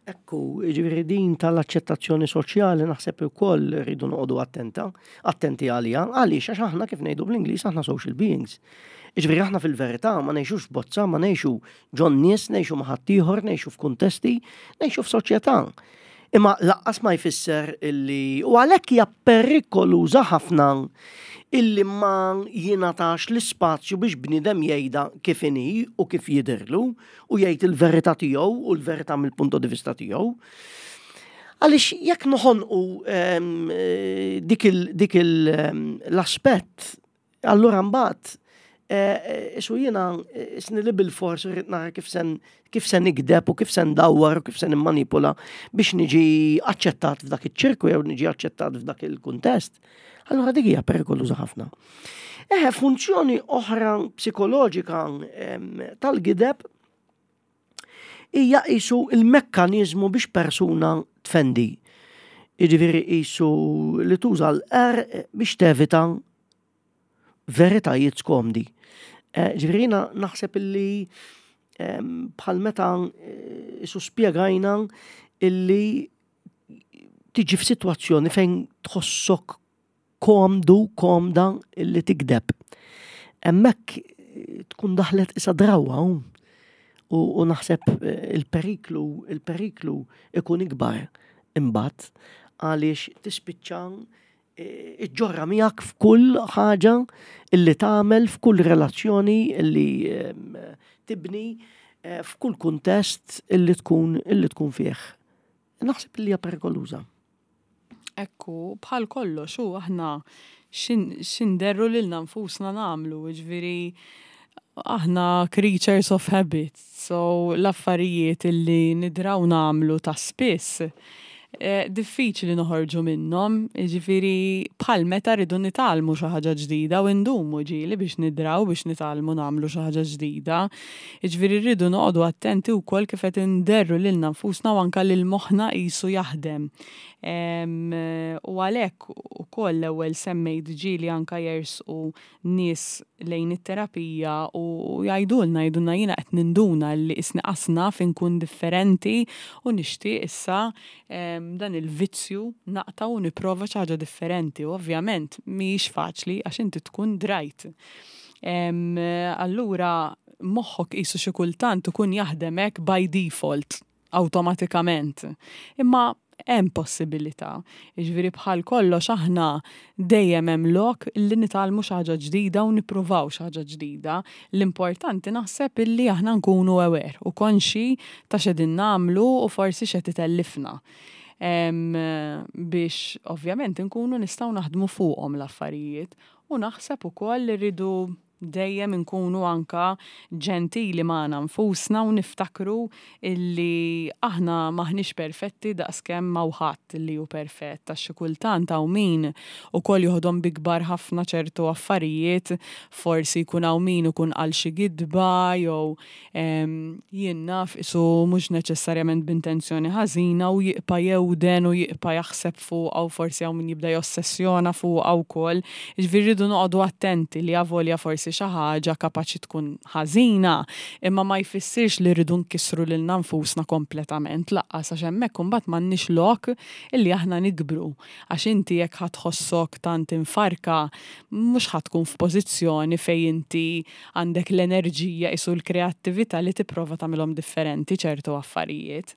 Ekku, jiġifieri din tal-aċċettazzjoni soċjali naħseb ukoll rridu noqogħdu attenta, attenti għaliha, għaliex għax aħna kif ngħidu bl-Ingliż aħna social beings. Jiġifieri aħna fil-verità ma ngħixux f'bozza, ma ngħixu ġon nies, ngħixu ma' ħaddieħor, ngħixu f'kuntesti, ngħixu f'soċjetà. Imma laqqas ma jfisser illi u għalhekk hija perikoluża ħafna illi ma jingħatax l-ispazju biex bniedem jgħidha kif inhi u kif jidhirlu u jgħid il-verità tiegħu u l-verità mill-punto di vista tiegħu. Għaliex jekk noħonqu ehm, dik l-aspett Allura mbagħad eh, isu jiena eh, isni li bil-fors irrid nara kif sen kif se nikdeb u kif se ndawwar u kif se nimmanipula biex niġi aċċettat f'dak iċ-ċirku jew niġi aċċettat f'dak il-kuntest. Allura dik hija perikoluża ħafna. Eħe, funzjoni oħra psikoloġika tal-gideb hija qisu il-mekkaniżmu biex persuna tfendi. Jiġifieri qisu li tuża l-qerq biex tevita veritajiet skomdi. Eh, ġifieri jiena naħseb illi bħal meta eh, isu spjegajna illi tiġi f'sitwazzjoni fejn tħossok komdu, komda illi tikdeb. Hemmhekk tkun daħlet isa drawwa u naħseb il-periklu, il-periklu ikun ikbar imbagħad għaliex tispiċċa iġġorra miegħek f'kull ħaġa illi tagħmel, f'kull relazzjoni illi tibni, f'kull kuntest illi tkun illi tkun fih. Naħseb li hija perikoluża. Ekku, bħal kollox u aħna x'inderru lilna nfusna nagħmlu, jiġifieri aħna creatures of habit, so l-affarijiet illi nidraw nagħmlu ta' spiss diffiċli noħorġu minnhom, jiġifieri bħal meta rridu nitgħallmu xi ħaġa ġdida u ndumu ġieli biex nidraw biex nitgħallmu nagħmlu xi ħaġa ġdida. Jiġifieri rridu noqogħdu attenti wkoll kif qed inderru lilna nfusna u anke lil moħħna qisu jaħdem. U għalhekk ukoll l-ewwel semmejt ġieli anke jersqu nies lejn it-terapija u jgħidulna, jgħidulna jiena qed ninduna li qisni qas naf inkun differenti u nixtieq issa dan il-vizzju naqta' u nipprova xi ħaġa differenti. U ovvjament mhijiex faċli għax inti tkun drajt. Allura moħħok qisu xi kultant ikun jaħdem hekk by default. Awtomatikament. Imma hemm possibilità. Jiġifieri bħal kollox aħna dejjem hemm lok li nitgħallmu xi ħaġa ġdida u nippruvaw xi ħaġa ġdida. L-importanti naħseb illi aħna nkunu aware u konxji ta' x'qegħdin nagħmlu u forsi x'qed itellifna. Biex ovvjament inkunu nistgħu naħdmu fuqhom l-affarijiet. U naħseb ukoll li rridu Dejjem inkunu anka ġentili magħna nfusna u niftakru illi aħna m'aħniex perfetti daqskemm m'hawn ħadd illi hu perfett għax xi kultant hawn min ukoll joħodhom bi kbar ħafna ċertu affarijiet, forsi jkun hawn min ikun qal xi gidba jew Jien naf qisu mhux neċessarjament b'intenzjoni ħażina u jibqa' jewden u jibqa' jaħseb fuqha u forsi hawn min jibda jossessjona fuqha wkoll. Jiġifieri rridu noqogħdu attenti li avolja forsi xi ħaġa kapaċi tkun ħażina, imma ma jfissirx li rridu nkissru lilna nfusna kompletament lanqas għax hemmhekk imbagħad m'għandniex lok illi aħna nikbru. Għax inti jekk ħa tħossok tant imfarrka mhux ħa tkun f'pożizzjoni fejn inti għandek l-enerġija qisu l-kreattività li tipprova tagħmilhom differenti ċertu affarijiet.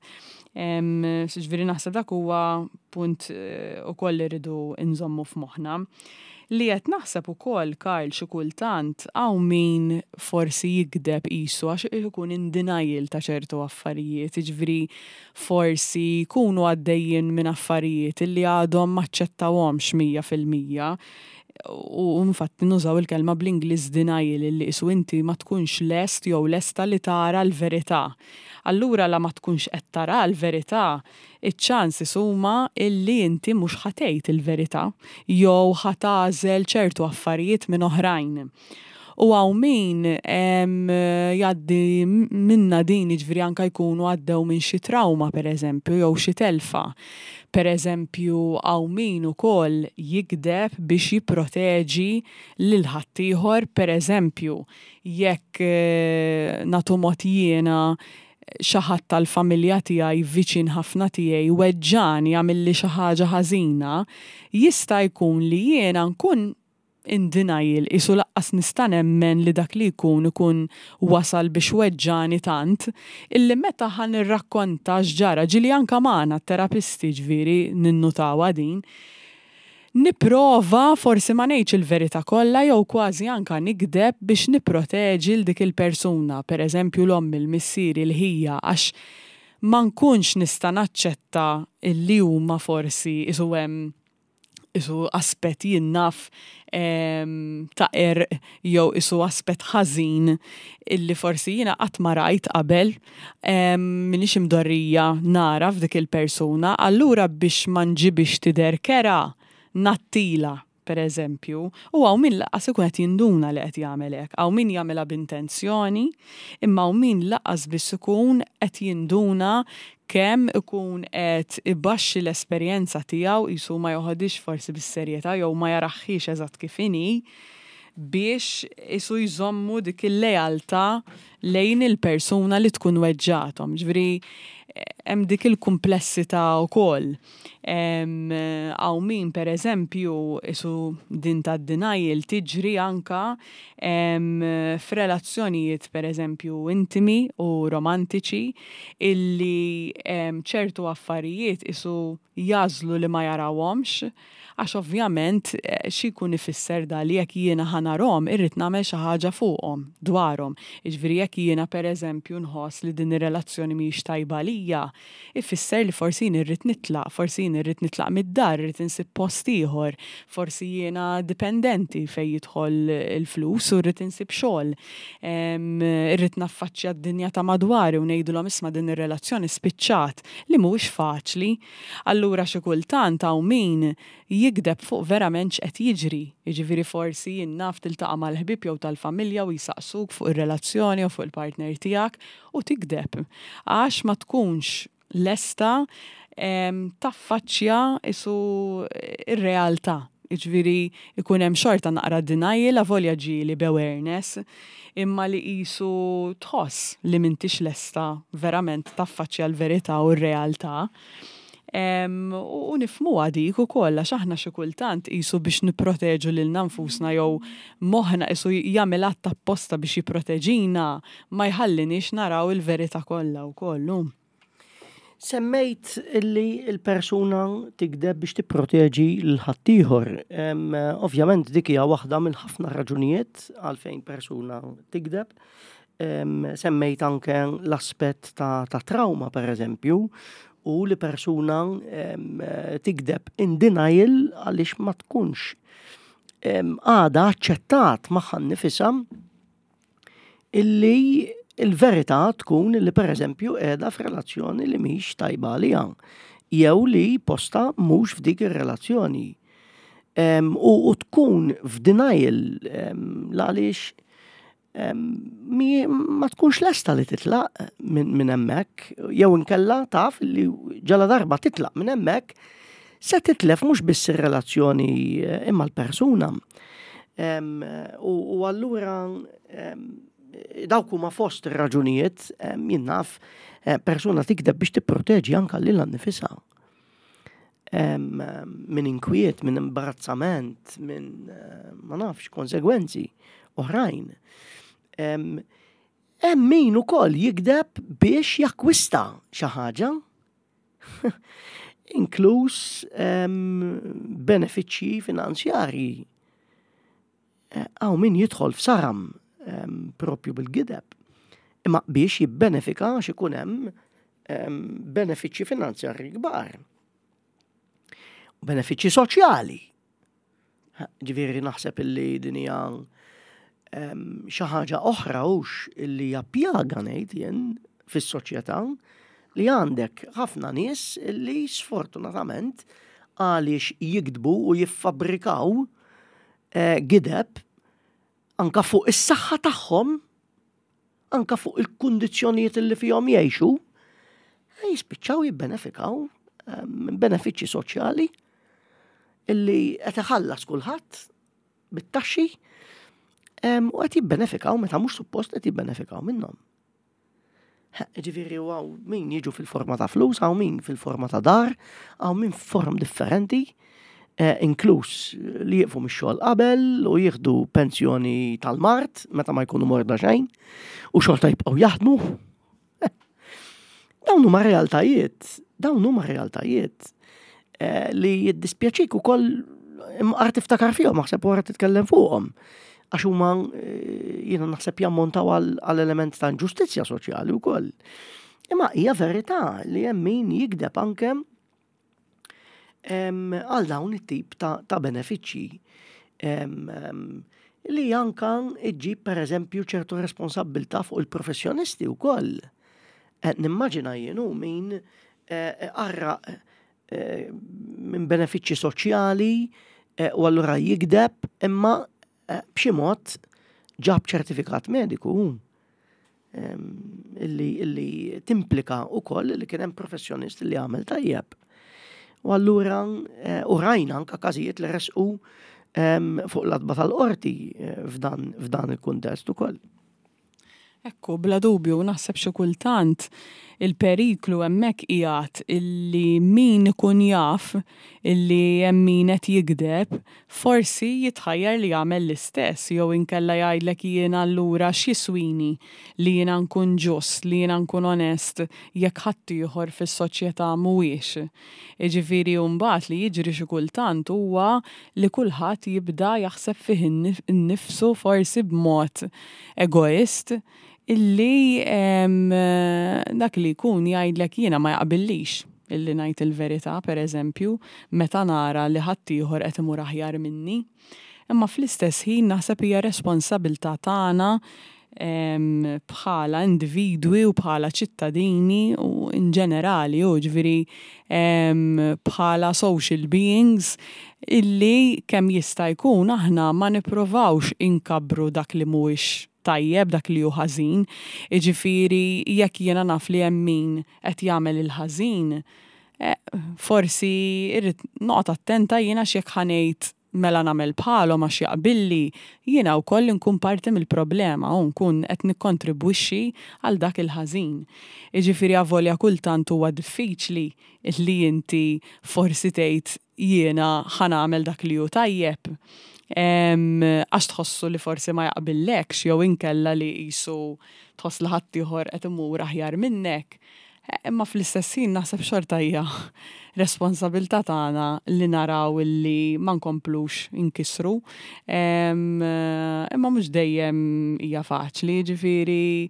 Ġifieri naħseb dak huwa punt eh, ukoll li rridu nżommu f'moħħna. Li qed naħseb ukoll Karl xi kultant hawn min forsi jigdeb qisu għax ikun in denial ta' ċertu affarijiet, jiġifieri forsi jkunu għaddejjin minn affarijiet li għadhom m'aċċettawhomx 100%. U infatti nużaw il-kelma bl-Ingliż denial illi qisu inti ma tkunx lest jew lesta li tara l-verità. Allura la ma tkunx qed tara l-verità, iċ-chances huma illi inti mhux ħa tgħid il-verità jew ħa tagħżel ċertu affarijiet minn oħrajn. U hawn min jgħaddi minnha din jiġifieri anke jkunu għaddew minn xi trawma pereżempju jew xi telfa. Pereżempju hawn min ukoll jigdeb biex jipproteġi lil ħaddieħor pereżempju jekk nagħtu mod jiena xi ħadd tal-familja tiegħi viċin ħafna tiegħi weġġagħni għamilli xi ħaġa ħażina, jista' jkun li jiena nkun in denial, qisu laqqas nista' nemmen li dak li jkun ikun wasal biex weġġagħni tant, illi meta ħa nirrakkonta x'ġara, ġieli anke magħna t-terapisti ġifieri ninnutawha din, nipprova forsi ma ngħidx il-verità kollha jew kważi anke nigdeb biex nipproteġi 'l dik il-persuna, per eżempju 'l ommi, 'l missieri, 'l ħija għax ma nkunx nista' naċċetta illi huma forsi qisu hemm isu aspett jien naf ta' qerq jew isu aspett ħażin illi forsi jiena qatt ma rajt qabel, m'iniex imdorrija nara f'dik il-persuna, allura biex ma nġibhiex tidher kerha, ngħattilha, per eżempju, u hawn min lanqas ikun qed jinduna li qed jagħmel hekk. Hawn min jagħmilha b'intenzjoni, imma hawn min lanqas biss ikun qed jinduna kemm ikun qed ibaxxi l-esperjenza tiegħu, qisu ma joħodhiex forsi bis-serjetà jew ma jaraħhiex eżatt kif inhi, biex qisu jżommu dik il-lealtà lejn il-persuna li tkun weġġgħathom. Ġifieri, Hemm dik il-kumplessità wkoll. Hawn min pereżempju isu din tad-denial tiġri anka f'relazzjonijiet pereżempju intimi u romantiċi illi ċertu affarijiet isu jagħżlu li ma jarawhomx għax ovvjament xi jkun ifisser da li jekk jiena ħa narhom irrid nagħmel xi ħaġa fuqhom, dwarhom. Jiġifieri jekk jiena pereżempju nħoss li din ir-relazzjoni mhijiex tajba għalija, ifisser li forsi jien irrid nitlaq, forsi jien irrid nitlaq mid-dar, irrid insib post ieħor, forsi jiena dipendenti fejn jidħol il-flus u rrid insib xogħol. Irrid naffaċċja d-dinja ta' madwari u ngħidilhom isma' din ir-relazzjoni spiċċat, li mhuwiex faċli. Allura xi kultant hawn min jigdeb fuq verament x'qed jiġri. Jiġifieri forsi jien naf tiltaqa' mal-ħbieb jew tal-familja u jsaqsuk fuq ir-relazzjoni jew fuq il-partner tiegħek u tigdeb. Għax ma tkunx lesta taffaċċja isu r-realtà. Jiġifieri jkun hemm xorta naqra denial avolja ġieli b'awareness, imma li qisu tħoss li m'intix lesta verament taffaċċja l-verità u r-realtà. U nifhmuha dik ukoll għax aħna xi kultant qisu biex nipproteġu lilna nfusna jew moħħna qisu jagħmel att apposta biex jipproteġina ma jħalliniex naraw il-verità kollha wkoll. Semmejt li l-persuna tigdeb biex tipproteġi lil ħaddieħor. Ovvjament dik hija waħda minn ħafna raġunijiet għalfejn persuna tigdeb. Semmejt anke l-aspett ta', ta trauma per eżempju, u li persuna tigdeb in denial għaliex ma tkunx għada aċċettat magħha nnifisha illi il-verità tkun li pereżempju qiegħda f'relazzjoni li mhix tajba għaliha jew li posta mhux f'dik ir-relazzjoni. U, u tkun f'denial għaliex ma tkunx lesta li titlaq minn hemmhekk jew inkella taf li ġala darba titlaq minn hemmhekk se titlef mhux biss ir-relazzjoni eh, imma l-persuna. U allura dawk huma fost ir-raġunijiet jien naf eh, persuna tikdeb biex tipproteġi anka lilha nnifisha. Minn inkwiet, minn imbarazzament, minn eh, ma nafx konsegwenzi oħrajn. Hemm min ukoll jikdeb biex jakkwista xi ħaġa inkluż benefiċċji finanzjarji. Eh, hawn min jidħol f'saram propju bil-gideb. Imma biex jibbenefika għax ikun hemm benefiċċji finanzjarji kbar. Benefiċċji soċjali. Ġifieri naħseb illi din hija xi ħaġa oħra hux illi hija pjaga ngħid jien fis-soċjetà li għandek ħafna nies li sfortunatament għaliex jikdbu u jiffabbrikaw eh, gideb anka fuq is-saħħa tagħhom anka fuq il-kundizzjonijiet li fihom jgħixu, eh, jispiċċaw jibbenefikaw eh, minn benefiċċji soċjali illi qed iħallas kulħadd bit-taxxi u qed jibbenefikaw meta mhux suppost qed jibbenefikaw minnhom. Ġifieri hawn min jiġu fil-forma ta' flus, hawn min fil-forma ta' dar, hawn min form differenti, eh, inkluż li jieqfu mix-xogħol qabel u jieħdu pensjoni tal-mart meta ma jkunu morda xejn u xorta jibqgħu jaħdmu. Dawn huma realtajiet, dawn huma realtajiet eh, li jiddispjaċik ukoll imqar tiftakar fihom, naħseb wara titkellem fuqhom. Għax huma eh, jiena naħseb jammontaw għal element ta' inġustizzja soċjali wkoll. Imma hija verità li hemm min jikdeb anke għal dawn it-tip ta', ta benefiċċji li anka iġġib per eżempju ċertu responsabbiltà fuq il-professjonisti wkoll. Eh, nimmaġina jien hu min eh, qarraq eh, minn benefiċċji soċjali u allura jigdeb imma b'xi mod ġab ċertifikat mediku illi, illi timplika wkoll li kien hemm professjonist li għamel tajjeb. U allura u rajna anka każijiet li resqu fuq l-adba tal-qorti f'dan, f'dan il-kuntest ukoll. Ekku, bla dubju, naħseb xi kultant Il-periklu hemmhekk qiegħed illi min ikun jaf illi hemm min qed jigdeb, forsi jitħajjar li jagħmel l-istess jew inkella jgħidlek jiena allura x'jiswini li jiena nkun ġust, li jiena nkun onest jekk ħaddieħor fis-soċjetà mhuwiex. Jiġifieri mbagħad li jiġri xi kultant huwa li kulħadd jibda jaħseb fih innifsu forsi b'mod egoist illi dak li jkun jgħidlek jiena ma jaqbillix illi ngħid il-verità, pereżempju, meta nara li ħaddieħor qed imur aħjar minni. Imma fl-istess ħin naħseb hija responsabilità tagħna bħala individwi u bħala ċittadini u in ġenerali, u ġifieri bħala social beings illi kemm jista' jkun aħna ma nipprovawx inkabbru dak li mhuwiex tajjeb, dak li hu ħażin. Jiġifieri jekk jiena naf li hemm min qed jagħmel il-ħażin, forsi irrid noqgħod attenta jiena x'jekk ħa ngħid mela nagħmel bħalhom għax jaqbilli, jiena wkoll inkun parti mill-problema u nkun qed nikkontribwixxi għal dak il-ħażin. Jiġifieri avolja kultant huwa diffiċli li inti forsi tgħid jiena ħa nagħmel dak li hu tajjeb, għax tħossu li forsi ma jaqbillekx jew inkella li qisu tħoss li ħaddieħor qed imur aħjar minnek. Imma fl-istess ħin naħseb xorta hija responsabilità tagħna li naraw illi ma nkomplux inkissru. Imma mhux dejjem hija faċli, jiġifieri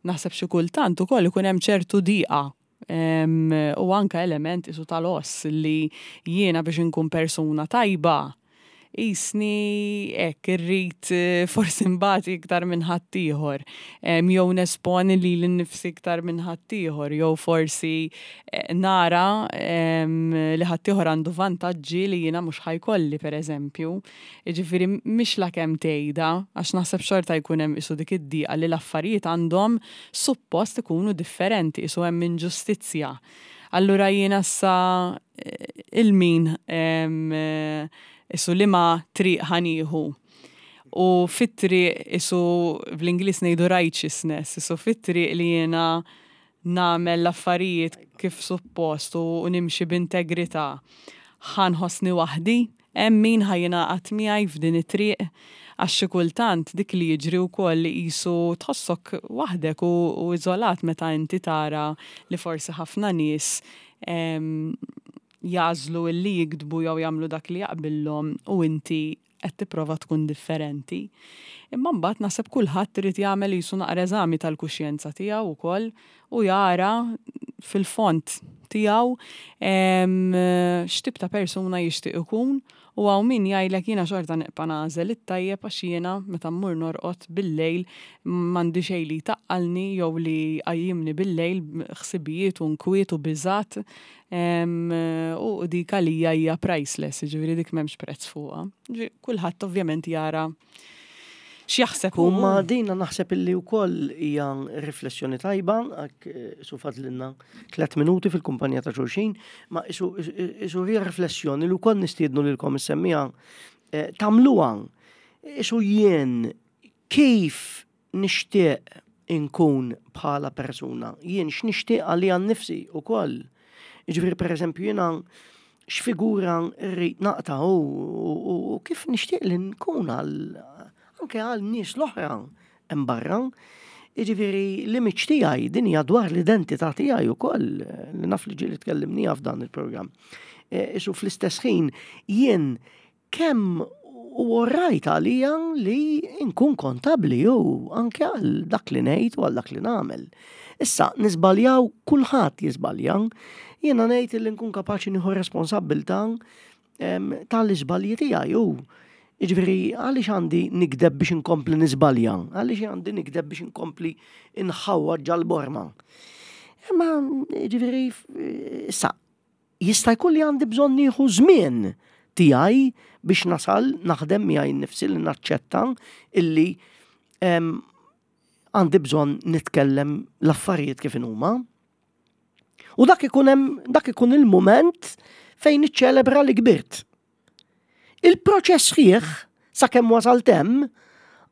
naħseb xi kultant ukoll ikun hemm ċertu diqa u anke element qisu tal-oss li jiena biex inkun persuna tajba qisni hekk irrid forsi nbati iktar minn ħaddieħor, jew nesponi lili nnifsi iktar minn ħaddieħor, jew forsi nara li ħaddieħor għandu vantaġġi li jiena mhux ħa jkolli pereżempju. Jiġifieri mhix la kemm tgħidha, għax naħseb xorta jkun hemm qisu dik id-diqa li l-affarijiet għandhom suppost ikunu differenti, qisu hemm inġustizzja. Allura jiena issa 'il min isu liema triq ħa nieħu. U fit-triq isu bl-Ingliż ngħidu righteousness, isu fit-triq li jiena nagħmel l-affarijiet kif suppost u nimxi b'integrità, ħa nħossni waħdi? Hemm min ħa jingħaqad miegħi f'din it-triq? Għax xi kultant dik li jiġri wkoll li qisu tħossok waħdek u iżolat meta inti tara li forsi ħafna nies jagħżlu illi jigdbu jew jagħmlu dak li jaqbillhom u inti qed tipprova tkun differenti. Imma mbagħad naħseb kulħadd irid jagħmel qisu naqra eżami tal-kuxjenza tiegħu wkoll u jara fil-fond tiegħu x'tip ta' persuna jixtieq ikun u hawn min jgħidlek jiena xorta nibqa' nagħżel it-tajjeb għax jiena meta mmur norqod bil-lejl m'għandi xejn li jtaqqalni jew li jqajjimni bil-lejl ħsibijiet u nkwiet u biżgħat u dik għalija hija priceless, jiġifieri dik m'hemmx prezz fuqha. Kulħadd ovvjament jara x'jaħseb hu. Ma dina naħseb illi wkoll hija riflessjoni tajba, għak eh, su fadlinna tlet minuti fil-kumpanija ta' xulxin, ma isu hija riflessjoni li wkoll nistiednu lilkom issemmija eh, tagħmluha. Isu jien kif nixtieq inkun bħala persuna, jien x'nixtieq għalija nnifsi wkoll. Jiġifieri pereżempju jiena x'figura rrid naqta' u kif nixtieq li nkun għal anke għal nies l-oħra hemm barra. Jiġifieri l-image tiegħi din hija dwar l-identità tiegħi wkoll li naf li ġieli tkellimniha f'dan il-programm. E, isu fl-istess ħin jien Kemm hu orrajt għalija li nkun kontabbli u anke għal dak li ngħid u għal dak li nagħmel. Issa, niżbaljaw kulħadd jiżbalja. Jiena ngħid li nkun kapaċi nieħu responsabbiltà tal-iżbalji tiegħi u Jiġifieri għaliex għandi nikdeb biex inkompli niżbalja? Għaliex għandi nikdeb biex inkompli nħawwad ġal-borma? Imma jiġifieri issa Jista' jkun li għandi bżonn nieħu żmien tiegħi biex nasal naħdem miegħi nnifsi li naċċetta illi għandi bżonn nitkellem l-affarijiet kif inhuma. U dak ikun hemm dak ikun il-mument fejn niċċelebra li kbirt. Il-proċess sħiħ sakemm wasalt hemm,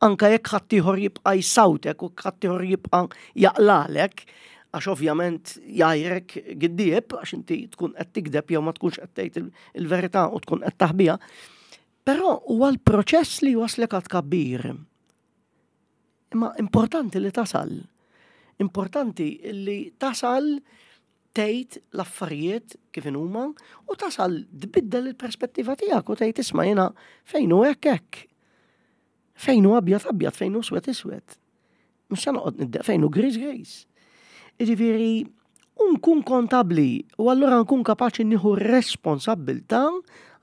anke jekk ħaddieħor jibqa' jsawtek u ħaddieħor jibqa' jaqlalek, Għax ovvjament jgħajrek giddieb għax inti tkun qed tikdeb jew ma tkunx qed tgħid il-verità u tkun qed taħbiha. Però huwa l-proċess li waslek għad kabbir. Imma importanti li tasal. Importanti li tasal tgħid l-affarijiet kif huma u tasal tbiddel il-perspettiva tiegħek u tgħid isma' jiena fejn hu hekk hekk. Fejn hu abjad abjad, fejn hu swed iswed. Mhux se noqgħod niddeq fejn hu gris gris. Jiġifieri nkun kontabbli u allura nkun kapaċi nieħu responsabbiltà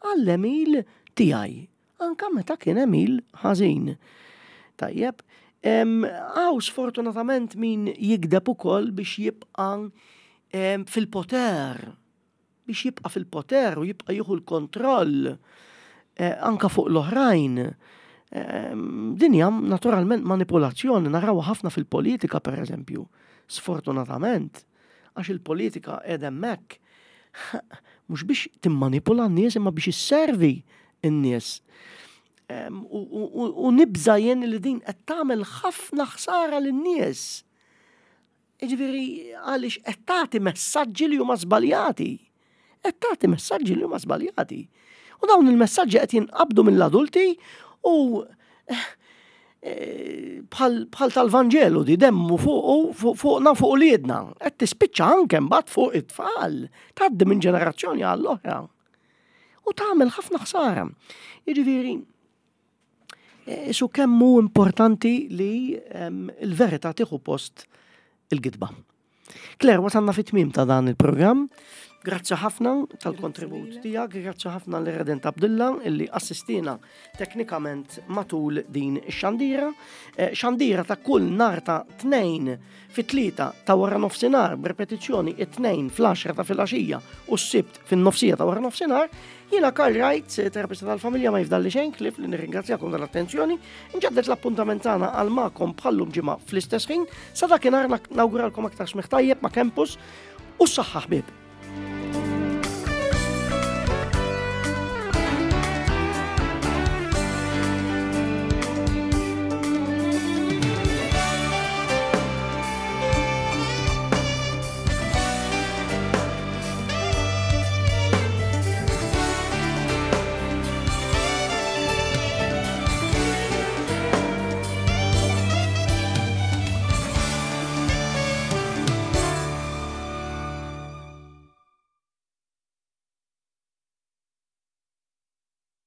għall-għemil tiegħi anka meta kien għemil ħażin. Tajjeb, hawn sfortunatament min jigdeb ukoll biex jibqa' fil-poter, biex jibqa' fil-poter u jibqa' jieħu l-kontroll eh, anka fuq l-oħrajn. Din hija naturalment manipulazzjoni narawha ħafna fil-politika pereżempju, sfortunatament, għax il-politika qiegħda hemmhekk mhux biex timmanipula n-nies imma biex isservi n-nies. U nibża jien li din qed tagħmel ħafna ħsara lin-nies. Jiġifieri għaliex qed tagħti messaġġi li huma żbaljati. Qed tagħti messaġġi li huma żbaljati. U dawn il-messaġġi qed jinqabdu mill-adulti u eh, bħal tal-Vanġelu di demmu fuq fuqna fuq uliedna. Qed tispiċċa anke mbagħad fuq it-tfal, tgħaddi minn ġenerazzjoni għall-oħra. U tagħmel ħafna ħsara. Jiġifieri, eh, isu kemm hu importanti li ehm, l-verità tieħu post il-gidba. Claire, wasalna fit-tmiem ta' dan il-programm. Grazzi ħafna tal-kontribut tiegħek, grazzi ħafna l Redent Abdilla illi assistina teknikament matul din ix-xandira. Eh, xandira ta' kull nar ta' tnejn fit-tlieta ta' wara nofsinhar b'repetizzjoni it-tnejn fl-10 ta' filgħaxija u s-sibt fin-nofsija ta' wara nofsinhar. Jiena Karl Wright, terapista tal-familja ma jifdalli xejn klif li nirringrazzjakom tal-attenzjoni. Nġeddet l-appuntament tagħna għal magħkom bħallum ġimgħa fl-istess ħin. Sa dakinhar nawguralkom aktar smigħ tajjeb ma' Campus u s-saħħa ħbieb.